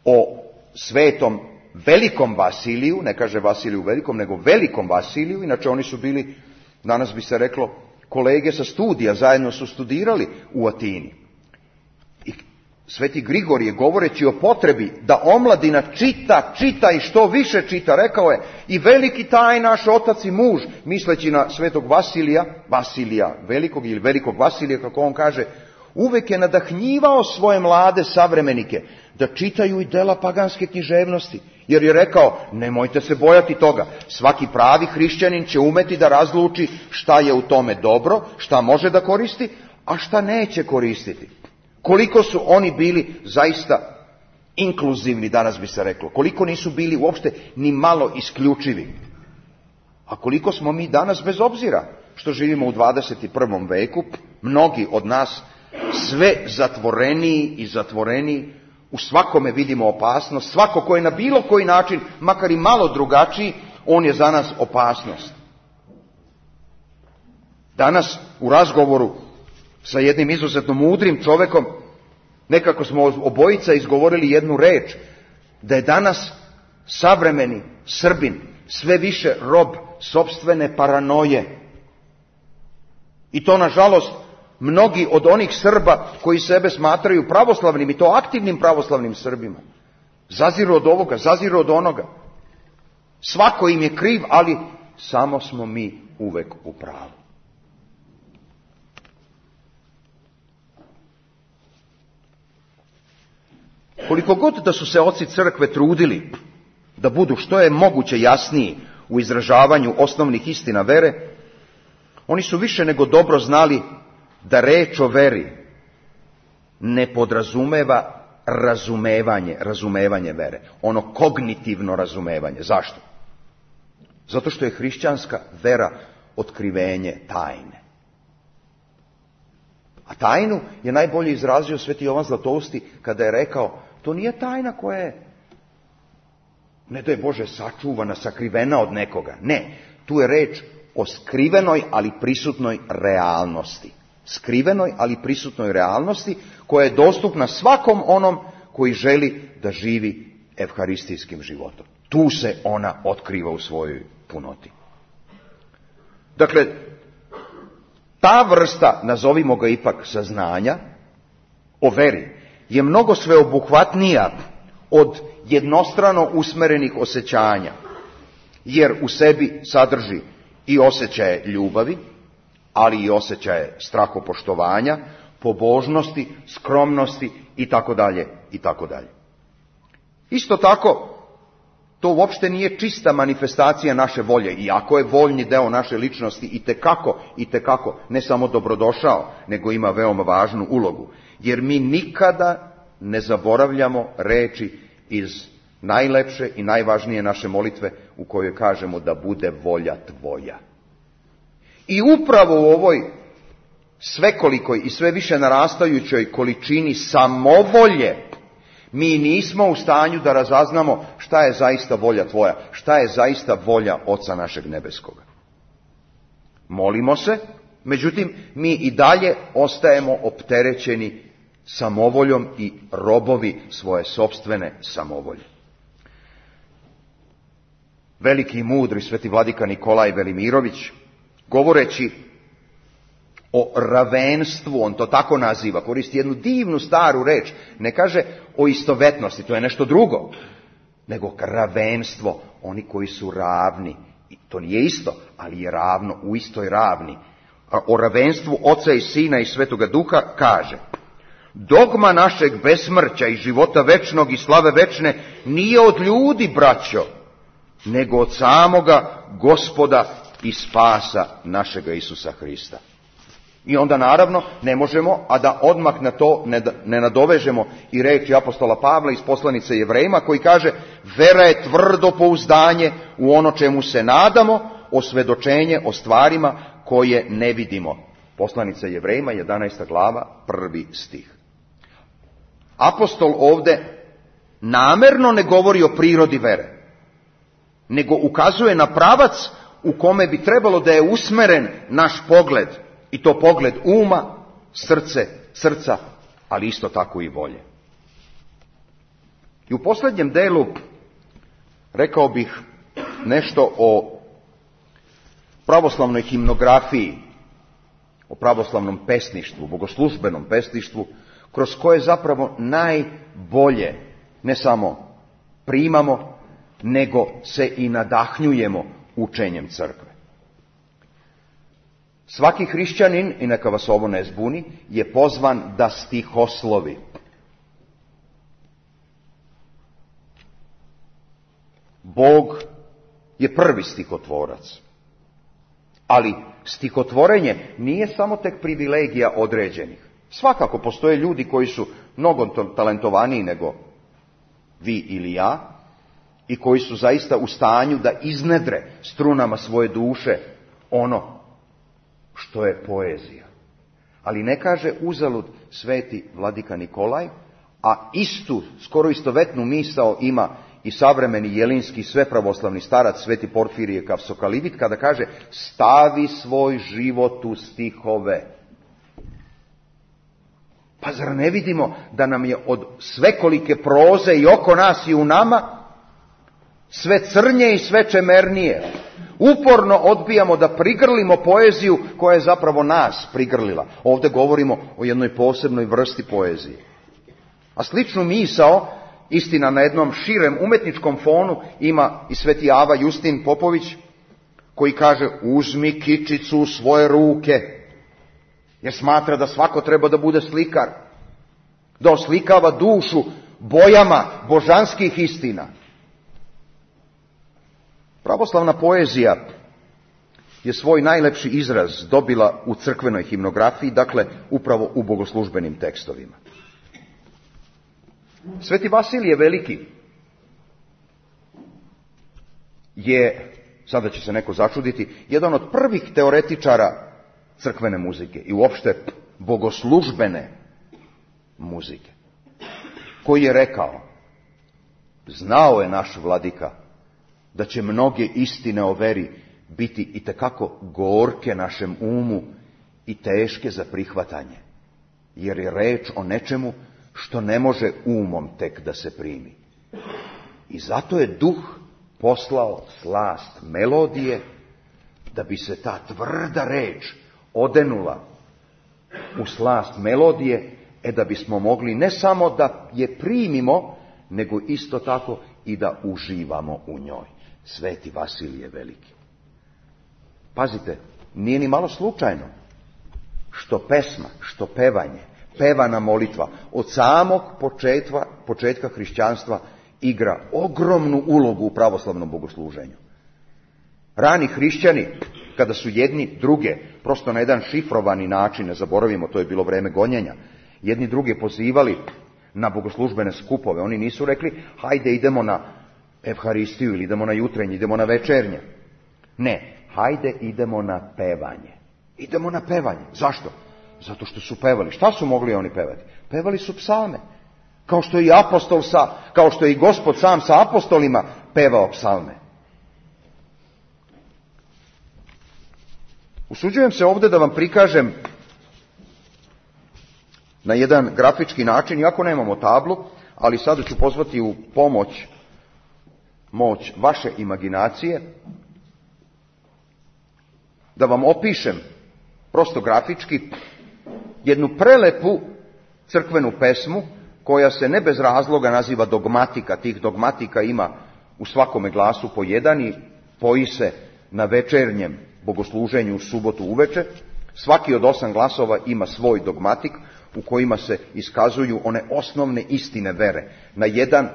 o svetom velikom Vasiliju, ne kaže Vasiliju Velikom, nego velikom Vasiliju, inače oni su bili, danas bi se reklo, kolege sa studija, zajedno su studirali u Atini. I sveti Grigorije, govoreći o potrebi da omladina čita, čita i što više čita, rekao je, i veliki taj naš otac i muž, misleći na svetog Vasilija, Vasilija Velikog ili velikog Vasilija, kako on kaže, uvek je nadahnjivao svoje mlade savremenike da čitaju i dela paganske književnosti, jer je rekao, nemojte se bojati toga, svaki pravi hrišćanin će umeti da razluči šta je u tome dobro, šta može da koristi, a šta neće koristiti. Koliko su oni bili zaista inkluzivni, danas bi se reklo, koliko nisu bili uopšte ni malo isključivi. A koliko smo mi danas, bez obzira što živimo u dvadeset prvom veku, mnogi od nas sve zatvoreniji i zatvoreniji, u svakome vidimo opasnost, svako ko je na bilo koji način, makar i malo drugačiji, on je za nas opasnost. Danas u razgovoru sa jednim izuzetno mudrim čovekom, nekako smo obojica izgovorili jednu reč, da je danas savremeni Srbin sve više rob sopstvene paranoje. I to, nažalost, mnogi od onih Srba koji sebe smatraju pravoslavnim, i to aktivnim pravoslavnim Srbima, zaziru od ovoga, zaziru od onoga. Svako im je kriv, ali samo smo mi uvek u pravu. Koliko god da su se oci crkve trudili da budu što je moguće jasniji u izražavanju osnovnih istina vere, oni su više nego dobro znali da reč o veri ne podrazumeva razumevanje, razumevanje vere, ono kognitivno razumevanje. Zašto? Zato što je hrišćanska vera otkrivenje tajne. A tajnu je najbolje izrazio sveti Jovan Zlatousti kada je rekao, to nije tajna koja je, ne daj Bože, sačuvana, sakrivena od nekoga. Ne, tu je reč o skrivenoj, ali prisutnoj realnosti. Skrivenoj, ali prisutnoj realnosti koja je dostupna svakom onom koji želi da živi evharistijskim životom. Tu se ona otkriva u svojoj punoti. Dakle, ta vrsta, nazovimo ga ipak, saznanja o veri je mnogo sveobuhvatnija od jednostrano usmerenih osjećanja, jer u sebi sadrži i osjećaje ljubavi, ali i osjećaje strahopoštovanja, pobožnosti, skromnosti i tako dalje i tako dalje. Isto tako, to uopšte nije čista manifestacija naše volje, iako je voljni deo naše ličnosti i tekako, i tekako, ne samo dobrodošao, nego ima veoma važnu ulogu. Jer mi nikada ne zaboravljamo reči iz najlepše i najvažnije naše molitve u kojoj kažemo da bude volja tvoja. I upravo u ovoj svekolikoj i sve više narastajućoj količini samovolje mi nismo u stanju da razaznamo šta je zaista volja tvoja, šta je zaista volja Oca našeg nebeskoga. Molimo se, međutim mi i dalje ostajemo opterećeni samovoljom i robovi svoje sopstvene samovolje. Veliki i mudri sveti vladika Nikolaj Velimirović, govoreći o ravenstvu, on to tako naziva, koristi jednu divnu staru reč, ne kaže o istovetnosti, to je nešto drugo, nego ravenstvo, oni koji su ravni, i to nije isto, ali je ravno, u istoj ravni. A o ravenstvu Oca i Sina i Svetoga Duha kaže: dogma našeg besmrća i života večnog i slave večne nije od ljudi, braćo, nego od samoga Gospoda i spasa našega Isusa Hrista. I onda naravno ne možemo, a da odmah na to ne, ne nadovežemo i reči apostola Pavla iz poslanice Jevrejima koji kaže: vera je tvrdo pouzdanje u ono čemu se nadamo, osvedočenje o stvarima koje ne vidimo. Poslanica Jevrejima, jedanaesta glava, prvi stih. Apostol ovde namerno ne govori o prirodi vere, nego ukazuje na pravac u kome bi trebalo da je usmeren naš pogled, i to pogled uma, srce, srca, ali isto tako i volje. I u posljednjem delu rekao bih nešto o pravoslavnoj himnografiji, o pravoslavnom pesništvu, bogoslužbenom pesništvu, kroz koje zapravo najbolje ne samo primamo, nego se i nadahnjujemo učenjem crkve. Svaki hrišćanin, i neka vas ovo ne zbuni, je pozvan da stihoslovi. Bog je prvi stihotvorac. Ali stihotvorenje nije samo tek privilegija određenih. Svakako postoje ljudi koji su mnogo talentovaniji nego vi ili ja i koji su zaista u stanju da iznedre strunama svoje duše ono što je poezija. Ali ne kaže uzalud sveti vladika Nikolaj, a istu, skoro istovetnu misao ima i savremeni jelinski svepravoslavni starac sveti Porfirije Kavsokalivit, kada kaže: stavi svoj život u stihove. Pa zar ne vidimo da nam je od svekolike proze i oko nas i u nama sve crnje i sve čemernije? Uporno odbijamo da prigrlimo poeziju koja je zapravo nas prigrlila. Ovdje govorimo o jednoj posebnoj vrsti poezije. A sličnu misao, istina na jednom širem umetničkom fonu, ima i sveti Ava Justin Popović, koji kaže: uzmi kičicu u svoje ruke, jer smatra da svako treba da bude slikar, da oslikava dušu bojama božanskih istina. Pravoslavna poezija je svoj najlepši izraz dobila u crkvenoj himnografiji, dakle upravo u bogoslužbenim tekstovima. Sveti Vasilije Veliki je, sada će se neko začuditi, jedan od prvih teoretičara crkvene muzike i uopšte bogoslužbene muzike, koji je rekao: znao je naš vladika da će mnoge istine o veri biti itekako gorke našem umu i teške za prihvatanje, jer je reč o nečemu što ne može umom tek da se primi. I zato je duh poslao slast melodije, da bi se ta tvrda reč odenula u slast melodije, e da bismo mogli ne samo da je primimo, nego isto tako i da uživamo u njoj. Sveti Vasilije Veliki. Pazite, nije ni malo slučajno što pesma, što pevanje, pevana molitva od samog početka, početka hrišćanstva igra ogromnu ulogu u pravoslavnom bogosluženju. Rani hrišćani, kada su jedni druge, prosto na jedan šifrovani način, ne zaboravimo, to je bilo vreme gonjenja, jedni druge pozivali na bogoslužbene skupove. Oni nisu rekli, hajde idemo na Evharistiju ili idemo na jutrenje, idemo na večernje. Ne, hajde idemo na pevanje. Idemo na pevanje. Zašto? Zato što su pevali. Šta su mogli oni pevati? Pevali su psalme. Kao što je i apostol sa, kao što je i Gospod sam sa apostolima pevao psalme. Usuđujem se ovdje da vam prikažem na jedan grafički način, iako nemamo tablu, ali sada ću pozvati u pomoć moć vaše imaginacije, da vam opišem prosto grafički jednu prelepu crkvenu pesmu koja se ne bez razloga naziva dogmatika. Tih dogmatika ima u svakome glasu po jedan i poji se na večernjem bogosluženju u subotu uveče. Svaki od osam glasova ima svoj dogmatik u kojima se iskazuju one osnovne istine vere na jedan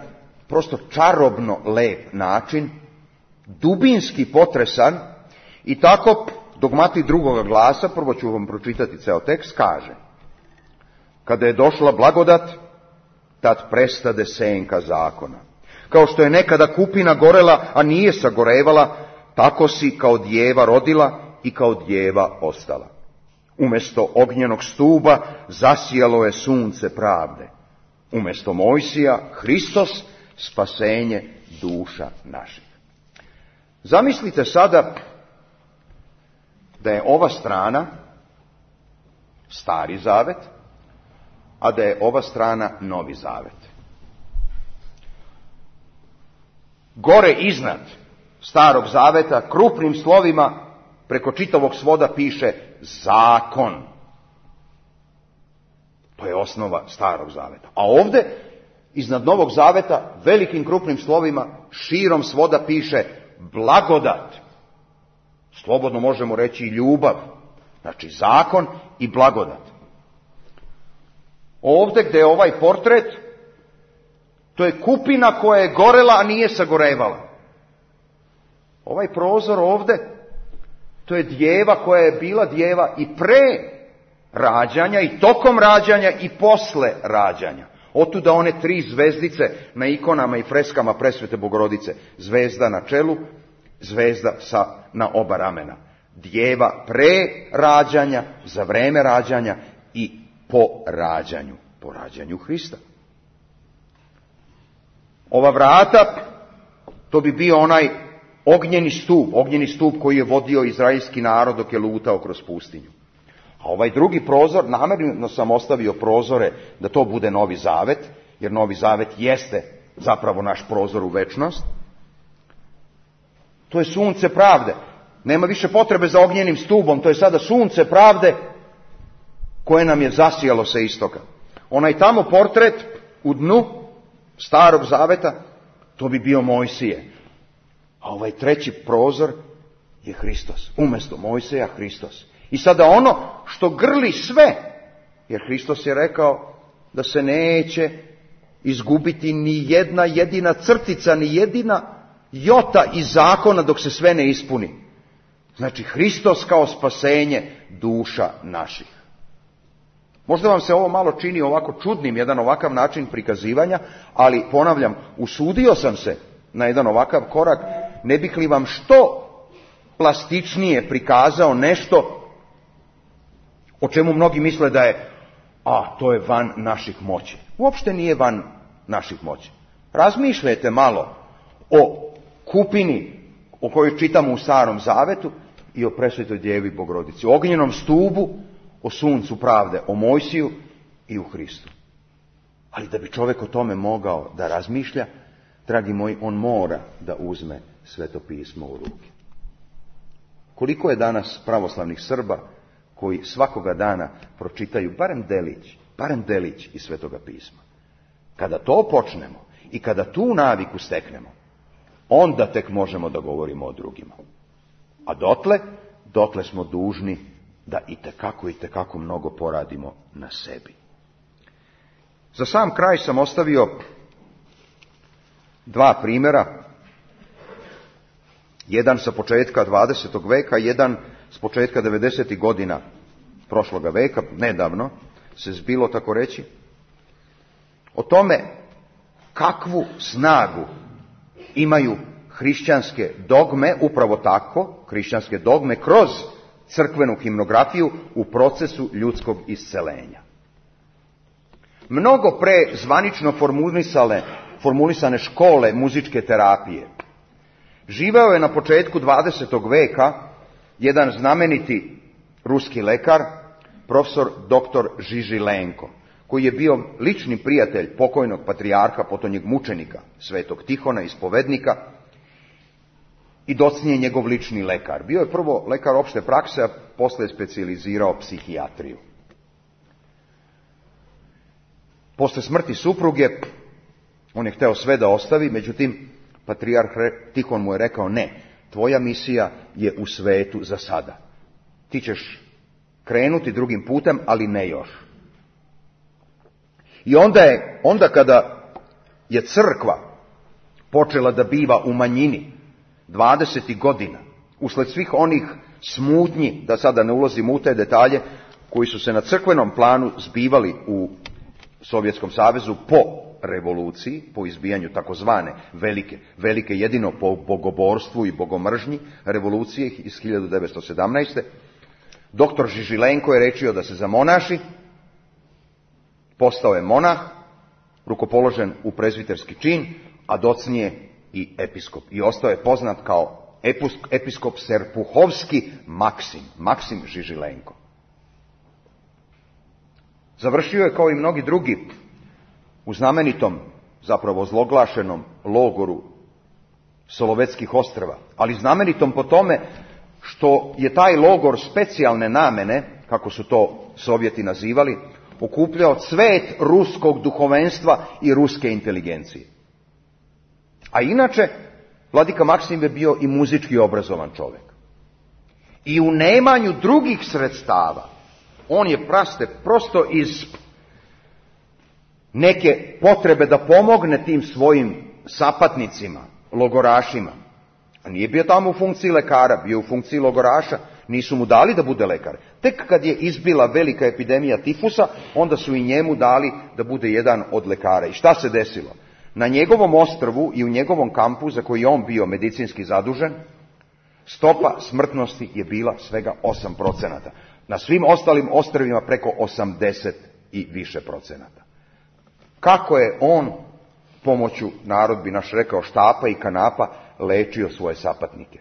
prosto čarobno lep način, dubinski potresan. I tako dogmatik drugoga glasa, prvo ću vam pročitati ceo tekst, kaže: kada je došla blagodat, tad prestade senka zakona. Kao što je nekada kupina gorela, a nije sagorevala, tako si kao djeva rodila i kao djeva ostala. Umjesto ognjenog stuba zasijalo je sunce pravde. Umjesto Mojsija, Hristos, spasenje duša naših. Zamislite sada da je ova strana Stari zavet, a da je ova strana Novi zavet. Gore iznad Starog zaveta krupnim slovima preko čitavog svoda piše zakon. To je osnova Starog zaveta. A ovdje iznad Novog zaveta velikim krupnim slovima širom svoda piše blagodat. Slobodno možemo reći i ljubav. Znači zakon i blagodat. Ovdje gdje je ovaj portret, to je kupina koja je gorela, a nije sagorevala. Ovaj prozor ovdje, to je djeva koja je bila djeva i pre rađanja, i tokom rađanja, i posle rađanja. Otuda one tri zvezdice na ikonama i freskama Presvete Bogorodice. Zvezda na čelu, zvezda sa, na oba ramena. Djeva pre rađanja, za vreme rađanja i po rađanju, po rađanju Hrista. Ova vrata, to bi bio onaj ognjeni stup, ognjeni stup koji je vodio izraelski narod dok je lutao kroz pustinju. A ovaj drugi prozor, namjerno sam ostavio prozore da to bude Novi zavet, jer Novi zavet jeste zapravo naš prozor u večnost. To je sunce pravde. Nema više potrebe za ognjenim stubom, to je sada sunce pravde koje nam je zasijalo sa istoka. Onaj tamo portret u dnu Starog zaveta, to bi bio Mojsije. A ovaj treći prozor je Hristos. Umjesto Mojsija, Hristos. I sada ono što grli sve, jer Hristos je rekao da se neće izgubiti ni jedna jedina crtica, ni jedina jota iz zakona dok se sve ne ispuni. Znači Hristos kao spasenje duša naših. Možda vam se ovo malo čini ovako čudnim, jedan ovakav način prikazivanja, ali ponavljam, usudio sam se na jedan ovakav korak, ne bih li vam što plastičnije prikazao nešto o čemu mnogi misle da je, a to je van naših moći. Uopšte nije van naših moći. Razmišljajte malo o kupini o kojoj čitamo u Starom zavetu i o Presvetoj Djevi Bogorodici, o ognjenom stubu, o suncu pravde, o Mojsiju i u Hristu. Ali da bi čovjek o tome mogao da razmišlja, dragi moji, on mora da uzme Sveto pismo u ruke. Koliko je danas pravoslavnih Srba koji svakoga dana pročitaju barem delić, barem delić iz Svetoga pisma. Kada to počnemo i kada tu naviku steknemo, onda tek možemo da govorimo o drugima. A dotle, dotle smo dužni da itekako, itekako mnogo poradimo na sebi. Za sam kraj sam ostavio dva primjera. Jedan sa početka dvadesetog veka, jedan s početka devedesetih godina prošloga veka, nedavno se zbilo tako reći. o tome kakvu snagu imaju hrišćanske dogme, upravo tako, hrišćanske dogme kroz crkvenu himnografiju u procesu ljudskog iscelenja. Mnogo pre zvanično formulisane, formulisane škole muzičke terapije živeo je na početku dvadesetog veka jedan znameniti ruski lekar, profesor doktor Žižilenko, koji je bio lični prijatelj pokojnog patrijarha, potonjeg mučenika, svetog Tihona, ispovednika, i docnije njegov lični lekar. Bio je prvo lekar opšte prakse, a posle je specijalizirao psihijatriju. Posle smrti supruge, on je hteo sve da ostavi, međutim, patrijarh Tihon mu je rekao, ne, tvoja misija je u svetu za sada. Ti ćeš krenuti drugim putem, ali ne još. I onda je, onda kada je crkva počela da biva u manjini dvadesetih godina, usled svih onih smutnji, da sada ne ulazim u te detalje, koji su se na crkvenom planu zbivali u Sovjetskom savezu po revoluciji, po izbijanju takozvane velike, velike jedino po bogoborstvu i bogomržnji revolucije iz hiljadu devetsto sedamnaeste. Doktor Žižilenko je rečio da se zamonaši, postao je monah, rukopoložen u prezbiterski čin, a docnije i episkop. I ostao je poznat kao episkop Serpuhovski Maksim, Maksim Žižilenko. Završio je kao i mnogi drugi u znamenitom, zapravo zloglašenom logoru Solovetskih ostrva, ali znamenitom po tome što je taj logor specijalne namene, kako su to Sovjeti nazivali, okupljao cvet ruskog duhovenstva i ruske inteligencije. A inače, vladika Maksim je bio i muzički obrazovan čovjek. I u nemanju drugih sredstava, on je praste prosto iz neke potrebe da pomogne tim svojim sapatnicima, logorašima. A nije bio tamo u funkciji lekara, bio u funkciji logoraša, nisu mu dali da bude lekar. Tek kad je izbila velika epidemija tifusa, onda su i njemu dali da bude jedan od lekara. I šta se desilo? Na njegovom ostrvu i u njegovom kampu, za koji je on bio medicinski zadužen, stopa smrtnosti je bila svega osam procenata. Na svim ostalim ostrvima preko osamdeset i više procenata. Kako je on pomoću, narod bi naš rekao, štapa i kanapa, lečio svoje sapatnike?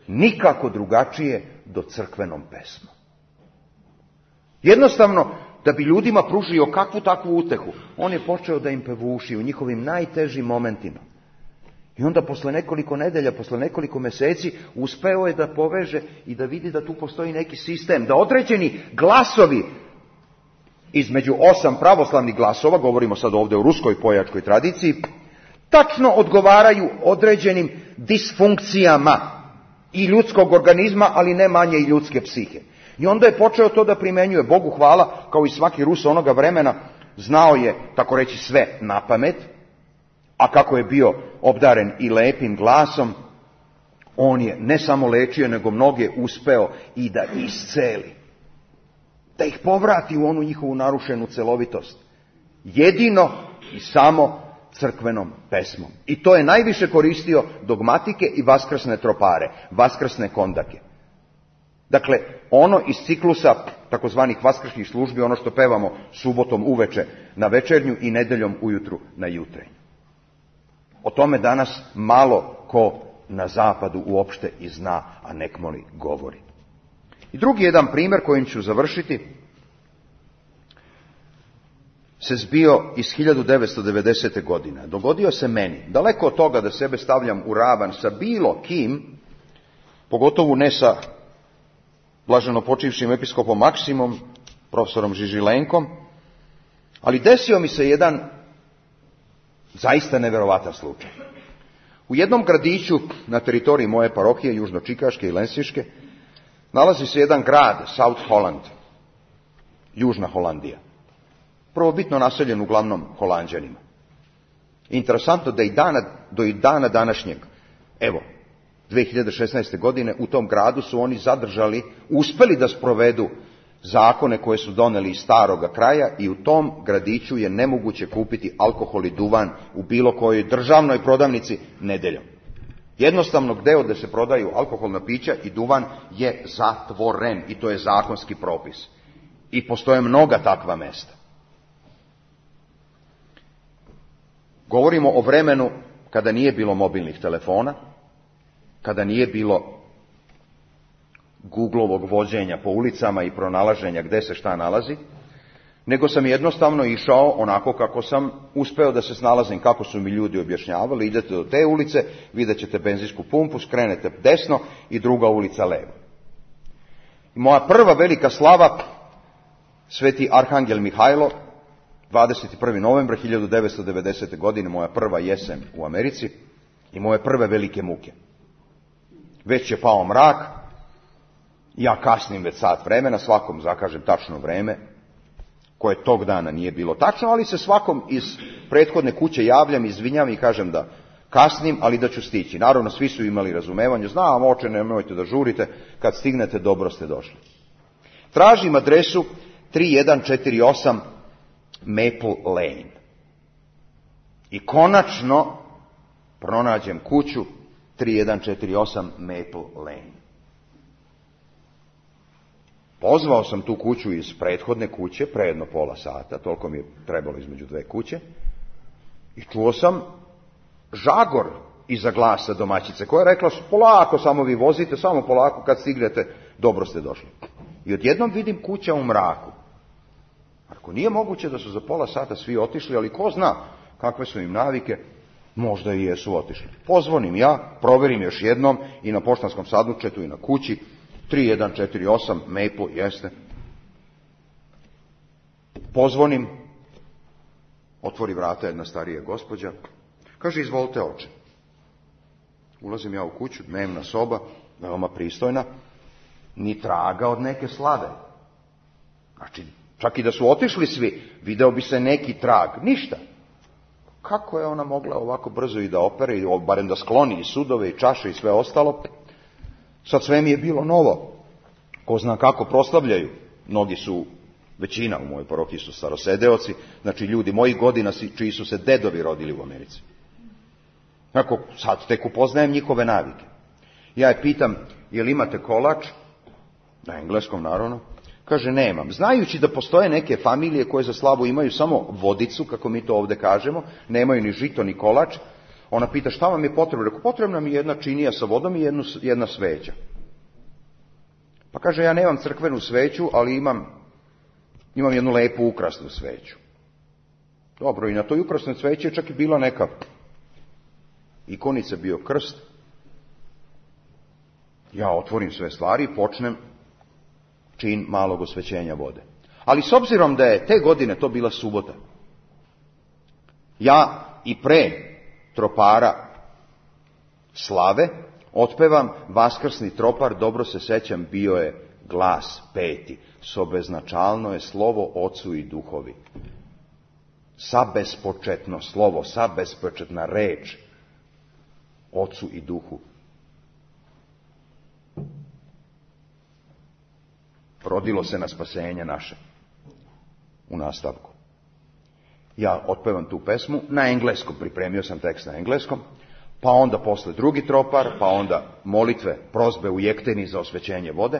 Nikako drugačije do crkvenom pesmom. Jednostavno, da bi ljudima pružio kakvu takvu utehu, on je počeo da im pevuši u njihovim najtežim momentima. I onda posle nekoliko nedelja, posle nekoliko meseci, uspeo je da poveže i da vidi da tu postoji neki sistem, da određeni glasovi između osam pravoslavnih glasova, govorimo sad ovdje o ruskoj pojačkoj tradiciji, tačno odgovaraju određenim disfunkcijama i ljudskog organizma, ali ne manje i ljudske psihe. I onda je počeo to da primenjuje. Bogu hvala, kao i svaki Rus onoga vremena, znao je, tako reći, sve napamet, a kako je bio obdaren i lepim glasom, on je ne samo lečio, nego mnoge uspeo i da isceli. Da ih povrati u onu njihovu narušenu celovitost. Jedino i samo crkvenom pesmom. I to je najviše koristio dogmatike i vaskrsne tropare, vaskrsne kondake. Dakle, ono iz ciklusa takozvanih vaskršnjih službi, ono što pevamo subotom uveče na večernju i nedeljom ujutru na jutrenju. O tome danas malo ko na zapadu uopšte i zna, a nekmoli govori. I drugi jedan primjer kojim ću završiti se zbio iz hiljadu devetsto devedesete. godine. Dogodio se meni, daleko od toga da sebe stavljam u ravan sa bilo kim, pogotovo ne sa blaženo počivšim episkopom Maksimom, profesorom Žižilenkom, ali desio mi se jedan zaista neverovatan slučaj. U jednom gradiću na teritoriji moje parohije, južno-čikaške i lensiške, nalazi se jedan grad, South Holland, Južna Holandija. Prvobitno naseljen uglavnom Holanđanima. Interesantno da i dana, do i dana današnjeg, evo, dve hiljade šesnaeste. godine u tom gradu su oni zadržali, uspeli da sprovedu zakone koje su doneli iz staroga kraja i u tom gradiću je nemoguće kupiti alkohol i duvan u bilo kojoj državnoj prodavnici nedeljom. Jednostavno gdje gdje se prodaju alkoholna pića i duvan je zatvoren i to je zakonski propis. I postoje mnoga takva mesta. Govorimo o vremenu kada nije bilo mobilnih telefona, kada nije bilo Googlovog vođenja po ulicama i pronalaženja gdje se šta nalazi, nego sam jednostavno išao onako kako sam uspeo da se snalazim, kako su mi ljudi objašnjavali. Idete do te ulice, vidjet ćete benzinsku pumpu, skrenete desno i druga ulica levo. I moja prva velika slava, Sveti Arhangel Mihajlo, dvadeset prvi novembar hiljadu devetsto devedesete. godine, moja prva jesen u Americi i moje prve velike muke. Već je pao mrak, ja kasnim već sat vremena, svakom zakažem tačno vreme, koje tog dana nije bilo tačno, ali se svakom iz prethodne kuće javljam, izvinjam i kažem da kasnim, ali da ću stići. Naravno, svi su imali razumevanje, znam, oče, nemojte da žurite, kad stignete, dobro ste došli. Tražim adresu tri jedan četiri osam Maple Lane. I konačno pronađem kuću tri jedan četiri osam Maple Lane. Pozvao sam tu kuću iz prethodne kuće, pre jedno pola sata, toliko mi je trebalo između dve kuće, i čuo sam žagor iza glasa domaćice, koja je rekla, polako samo vi vozite, samo polako, kad stignete, dobro ste došli. I odjednom vidim kuća u mraku. Ako nije moguće da su za pola sata svi otišli, ali ko zna kakve su im navike, možda i jesu otišli. Pozvonim ja, proverim još jednom i na poštanskom sandučetu i na kući, tri jedan četiri osam Maple, jeste. Pozvonim, otvori vrata jedna starija gospođa, kaže, izvolite oče. Ulazim ja u kuću, dnevna soba, veoma pristojna, ni traga od neke slave. Znači, čak i da su otišli svi, video bi se neki trag, ništa. Kako je ona mogla ovako brzo i da opere, i barem da skloni i sudove i čaše i sve ostalo? Sad sve mi je bilo novo. Ko zna kako proslavljaju. Mnogi su, većina u mojoj parohiji su starosedeoci, znači ljudi mojih godina čiji su se dedovi rodili u Americi. Tako, sad tek upoznajem njihove navike. Ja je pitam, jel imate kolač? Na engleskom, naravno. Kaže, nemam. Znajući da postoje neke familije koje za slavu imaju samo vodicu, kako mi to ovdje kažemo, nemaju ni žito ni kolač, ona pita, šta vam je potrebno? Rekao, potrebna mi je jedna činija sa vodom i jednu, jedna sveća. Pa kaže, ja nemam crkvenu sveću, ali imam, imam jednu lepu ukrasnu sveću. Dobro, i na toj ukrasnoj sveći je čak i bila neka ikonica, bio krst. Ja otvorim sve stvari i počnem čin malog osvećenja vode. Ali s obzirom da je te godine to bila subota, ja i pre tropara slave otpevam vaskrsni tropar, dobro se sećam, bio je glas peti. Sobeznačalno je slovo Ocu i Duhovi. Sabespočetno slovo, sabespočetna reč Ocu i Duhu. Rodilo se na spasenje naše. U nastavku. Ja otpevam tu pesmu na engleskom, pripremio sam tekst na engleskom, pa onda posle drugi tropar, pa onda molitve, prozbe u jekteni za osvećenje vode,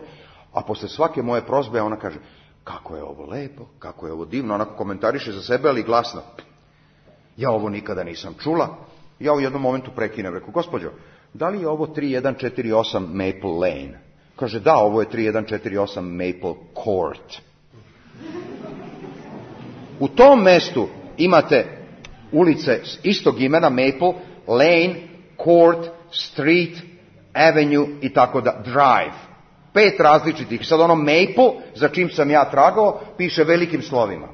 a posle svake moje prozbe ona kaže, kako je ovo lepo, kako je ovo divno, onako komentariše za sebe, ali glasno. Ja ovo nikada nisam čula. Ja u jednom momentu prekinem, reku, gospođo, da li je ovo tri jedan četiri osam Maple Lane? Kaže, da, ovo je tri jedan četiri osam Maple Court. U tom mestu imate ulice istog imena, Maple, Lane, Court, Street, Avenue i tako da, Drive. Pet različitih. Sad ono Maple, za čim sam ja tragao, piše velikim slovima.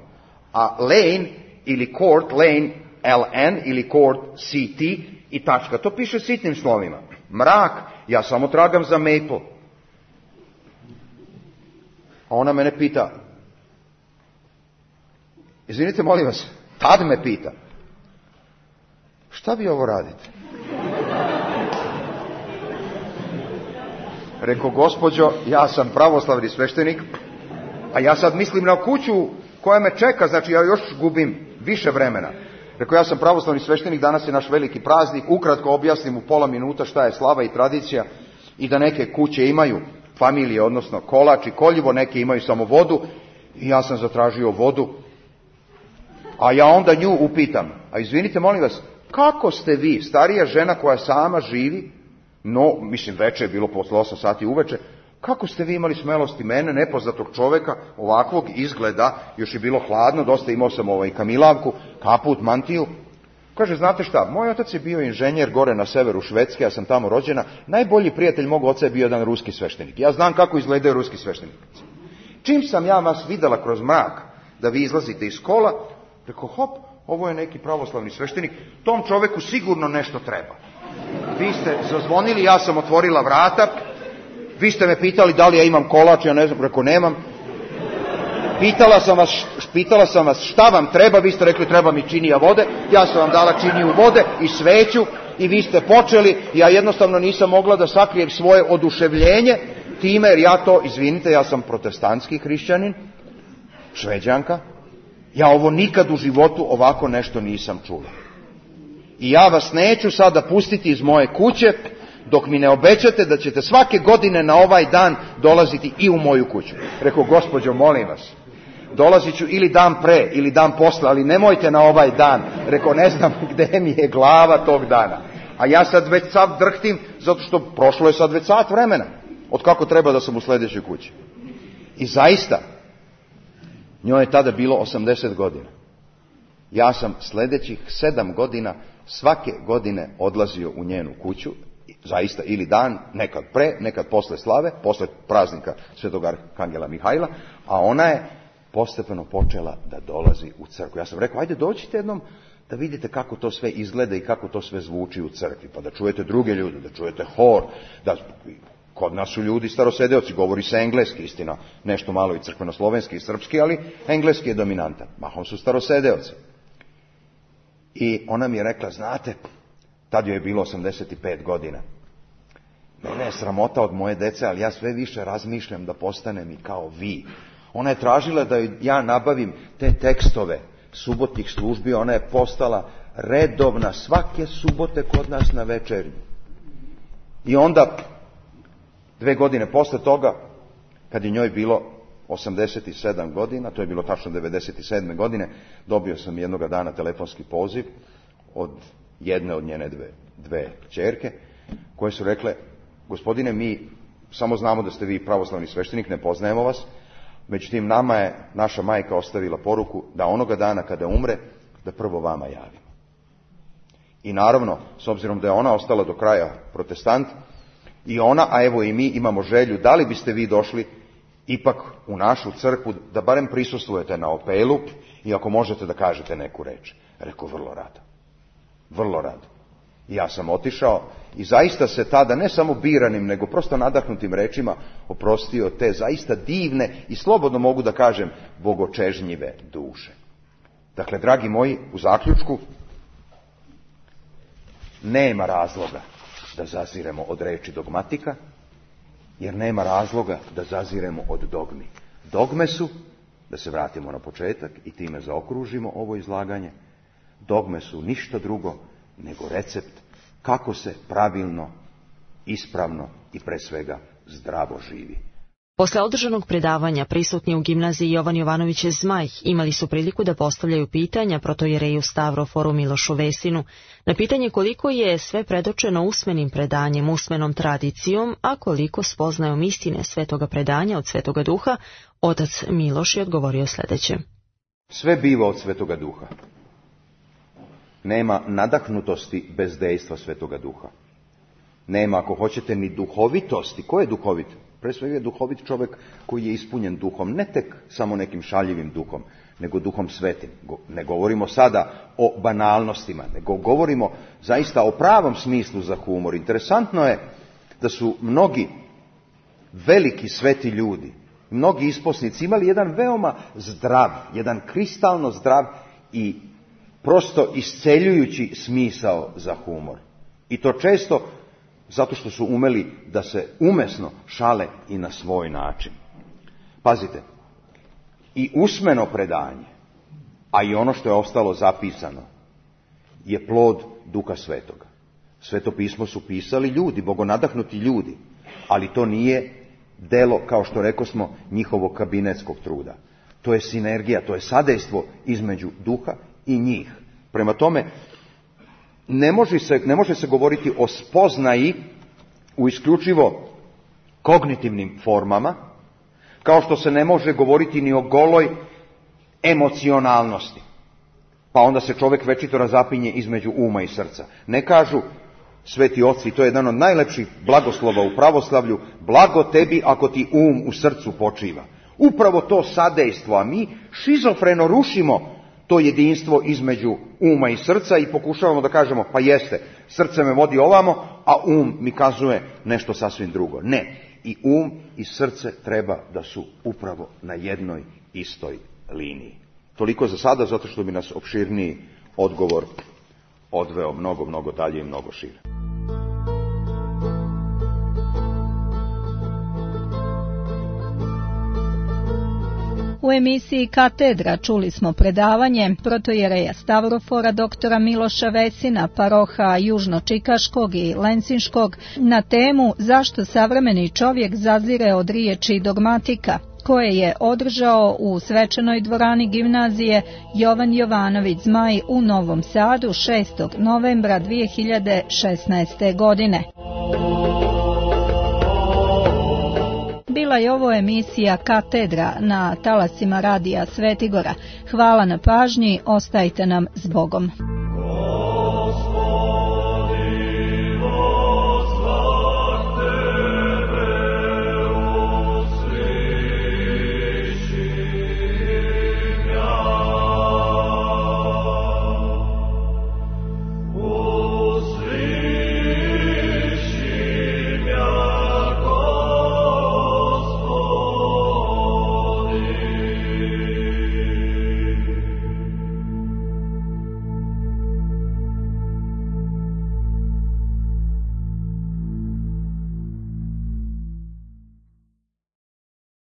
A Lane ili Court, Lane, L N ili Court, C T i tačka. To piše sitnim slovima. Mrak, ja samo tragam za Maple. A ona mene pita, izvinite, molim vas, tad me pita, šta vi ovo radite? Rekao, gospođo, ja sam pravoslavni sveštenik A ja sad mislim na kuću koja me čeka, znači ja još gubim više vremena. Rekao, ja sam pravoslavni sveštenik, danas je naš veliki praznik, ukratko objasnim u pola minuta šta je slava i tradicija i da neke kuće imaju familije, odnosno kolač i koljivo, neke imaju samo vodu i ja sam zatražio vodu. A ja onda nju upitam, a izvinite molim vas, kako ste vi, starija žena koja sama živi, no, mislim veče je bilo posle osam sati uveče, kako ste vi imali smelosti mene, nepoznatog čoveka, ovakvog izgleda, još je bilo hladno, dosta imao sam ovaj kamilavku, kaput, mantiju. Kaže, znate šta, moj otac je bio inženjer gore na severu Švedske, ja sam tamo rođena, najbolji prijatelj mog oca je bio jedan ruski sveštenik. Ja znam kako izgledaju ruski sveštenici. Čim sam ja vas videla kroz mrak, da vi izlazite iz kola, rekao, hop, ovo je neki pravoslavni sveštenik, tom čoveku sigurno nešto treba. Vi ste zazvonili, ja sam otvorila vrata, vi ste me pitali da li ja imam kolač, ja ne znam, rekao nemam. Pitala sam vas, pitala sam vas šta vam treba, vi ste rekli treba mi činija vode, ja sam vam dala činiju vode i sveću i vi ste počeli, ja jednostavno nisam mogla da sakrijem svoje oduševljenje time, jer ja to, izvinite, ja sam protestantski hrišćanin, Šveđanka, ja ovo nikad u životu ovako nešto nisam čula. I ja vas neću sada pustiti iz moje kuće, dok mi ne obećate da ćete svake godine na ovaj dan dolaziti i u moju kuću. Rekao, gospođo, molim vas, dolazit ću ili dan pre, ili dan posle, ali nemojte na ovaj dan. Rekao, ne znam gde mi je glava tog dana. A ja sad već sad drhtim, zato što prošlo je sad već sat vremena, od kako treba da sam u sljedećoj kući. I zaista, njoj je tada bilo osamdeset godina. Ja sam sljedećih sedam godina svake godine odlazio u njenu kuću, zaista ili dan, nekad pre, nekad posle slave, posle praznika Svetog Arhangela Mihajla, a ona je postepeno počela da dolazi u crkvu. Ja sam rekao, ajde dođite jednom da vidite kako to sve izgleda i kako to sve zvuči u crkvi, pa da čujete druge ljude, da čujete hor, da kod nas su ljudi starosedeoci, govori se engleski, istina, nešto malo i crkveno-slovenski i srpski, ali engleski je dominantan, mahom su starosedeoci. I ona mi je rekla, znate, tad joj je bilo osamdeset pet godina. Mene je sramota od moje dece, ali ja sve više razmišljam da postanem i kao vi. Ona je tražila da ja nabavim te tekstove subotnih službi, ona je postala redovna svake subote kod nas na večernju. I onda, dve godine posle toga, kad je njoj bilo osamdeset sedam godina, to je bilo tačno devedeset sedme godine, dobio sam jednoga dana telefonski poziv od jedne od njene dve, dve kćerke, koje su rekle, gospodine, mi samo znamo da ste vi pravoslavni sveštenik, ne poznajemo vas, međutim nama je naša majka ostavila poruku da onoga dana kada umre, da prvo vama javimo. I naravno, s obzirom da je ona ostala do kraja protestant, i ona, a evo i mi, imamo želju, da li biste vi došli ipak u našu crkvu, da barem prisustvujete na opelu i ako možete da kažete neku reč. Rekao, vrlo rado. Vrlo rado. I ja sam otišao i zaista se tada, ne samo biranim, nego prosto nadahnutim rečima oprostio te zaista divne i slobodno mogu da kažem bogočežnjive duše. Dakle, dragi moji, u zaključku, nema razloga da zaziremo od reči dogmatika, jer nema razloga da zaziremo od dogmi. Dogme su, da se vratimo na početak i time zaokružimo ovo izlaganje, dogme su ništa drugo nego recept kako se pravilno, ispravno i pre svega zdravo živi. Posle održanog predavanja prisutni u gimnaziji Jovan Jovanović Zmaj imali su priliku da postavljaju pitanja protojereju Stavroforu Milošu Vesinu na pitanje koliko je sve predočeno usmenim predanjem, usmenom tradicijom, a koliko spoznajom istine svetoga predanja od Svetoga Duha. Otac Miloš je odgovorio sljedeće. Sve biva od Svetoga Duha. Nema nadahnutosti bez dejstva Svetoga Duha. Nema, ako hoćete, ni duhovitosti. Ko je duhovit? Pre svega je duhovit čovjek koji je ispunjen duhom, ne tek samo nekim šaljivim duhom, nego duhom svetim. Ne govorimo sada o banalnostima, nego govorimo zaista o pravom smislu za humor. Interesantno je da su mnogi veliki sveti ljudi, mnogi isposnici imali jedan veoma zdrav, jedan kristalno zdrav i prosto isceljujući smisao za humor. I to često zato što su umeli da se umesno šale i na svoj način. Pazite, I usmeno predanje, a i ono što je ostalo zapisano, je plod Duha Svetoga. Sveto pismo su pisali ljudi, bogonadahnuti ljudi, ali to nije delo, kao što rekosmo, njihovog kabinetskog truda. To je sinergija, to je sadejstvo između duha i njih. Prema tome, ne može se, ne može se govoriti o spoznaji u isključivo kognitivnim formama, kao što se ne može govoriti ni o goloj emocionalnosti. Pa onda se čovjek večito razapinje između uma i srca. Ne kažu sveti oci, to je jedan od najlepših blagoslova u pravoslavlju, blago tebi ako ti um u srcu počiva. Upravo to sadejstvo, a mi šizofreno rušimo to jedinstvo između uma i srca i pokušavamo da kažemo, pa jeste, srce me vodi ovamo, a um mi kazuje nešto sasvim drugo. Ne, i um i srce treba da su upravo na jednoj istoj liniji. Toliko za sada, zato što bi nas opširniji odgovor odveo mnogo, mnogo dalje i mnogo šire. U emisiji Katedra čuli smo predavanje protojereja Stavrofora doktora Miloša Vesina, paroha Južno-Čikaškog i Lencinškog, na temu Zašto savremeni čovjek zazire od riječi dogmatika, koje je održao u svečanoj dvorani gimnazije Jovan Jovanović Zmaj u Novom Sadu šestog novembra dvije hiljade šesnaeste. godine. Bila je ovo emisija Katedra na talasima Radija Svetigora. Hvala na pažnji, ostajte nam s Bogom.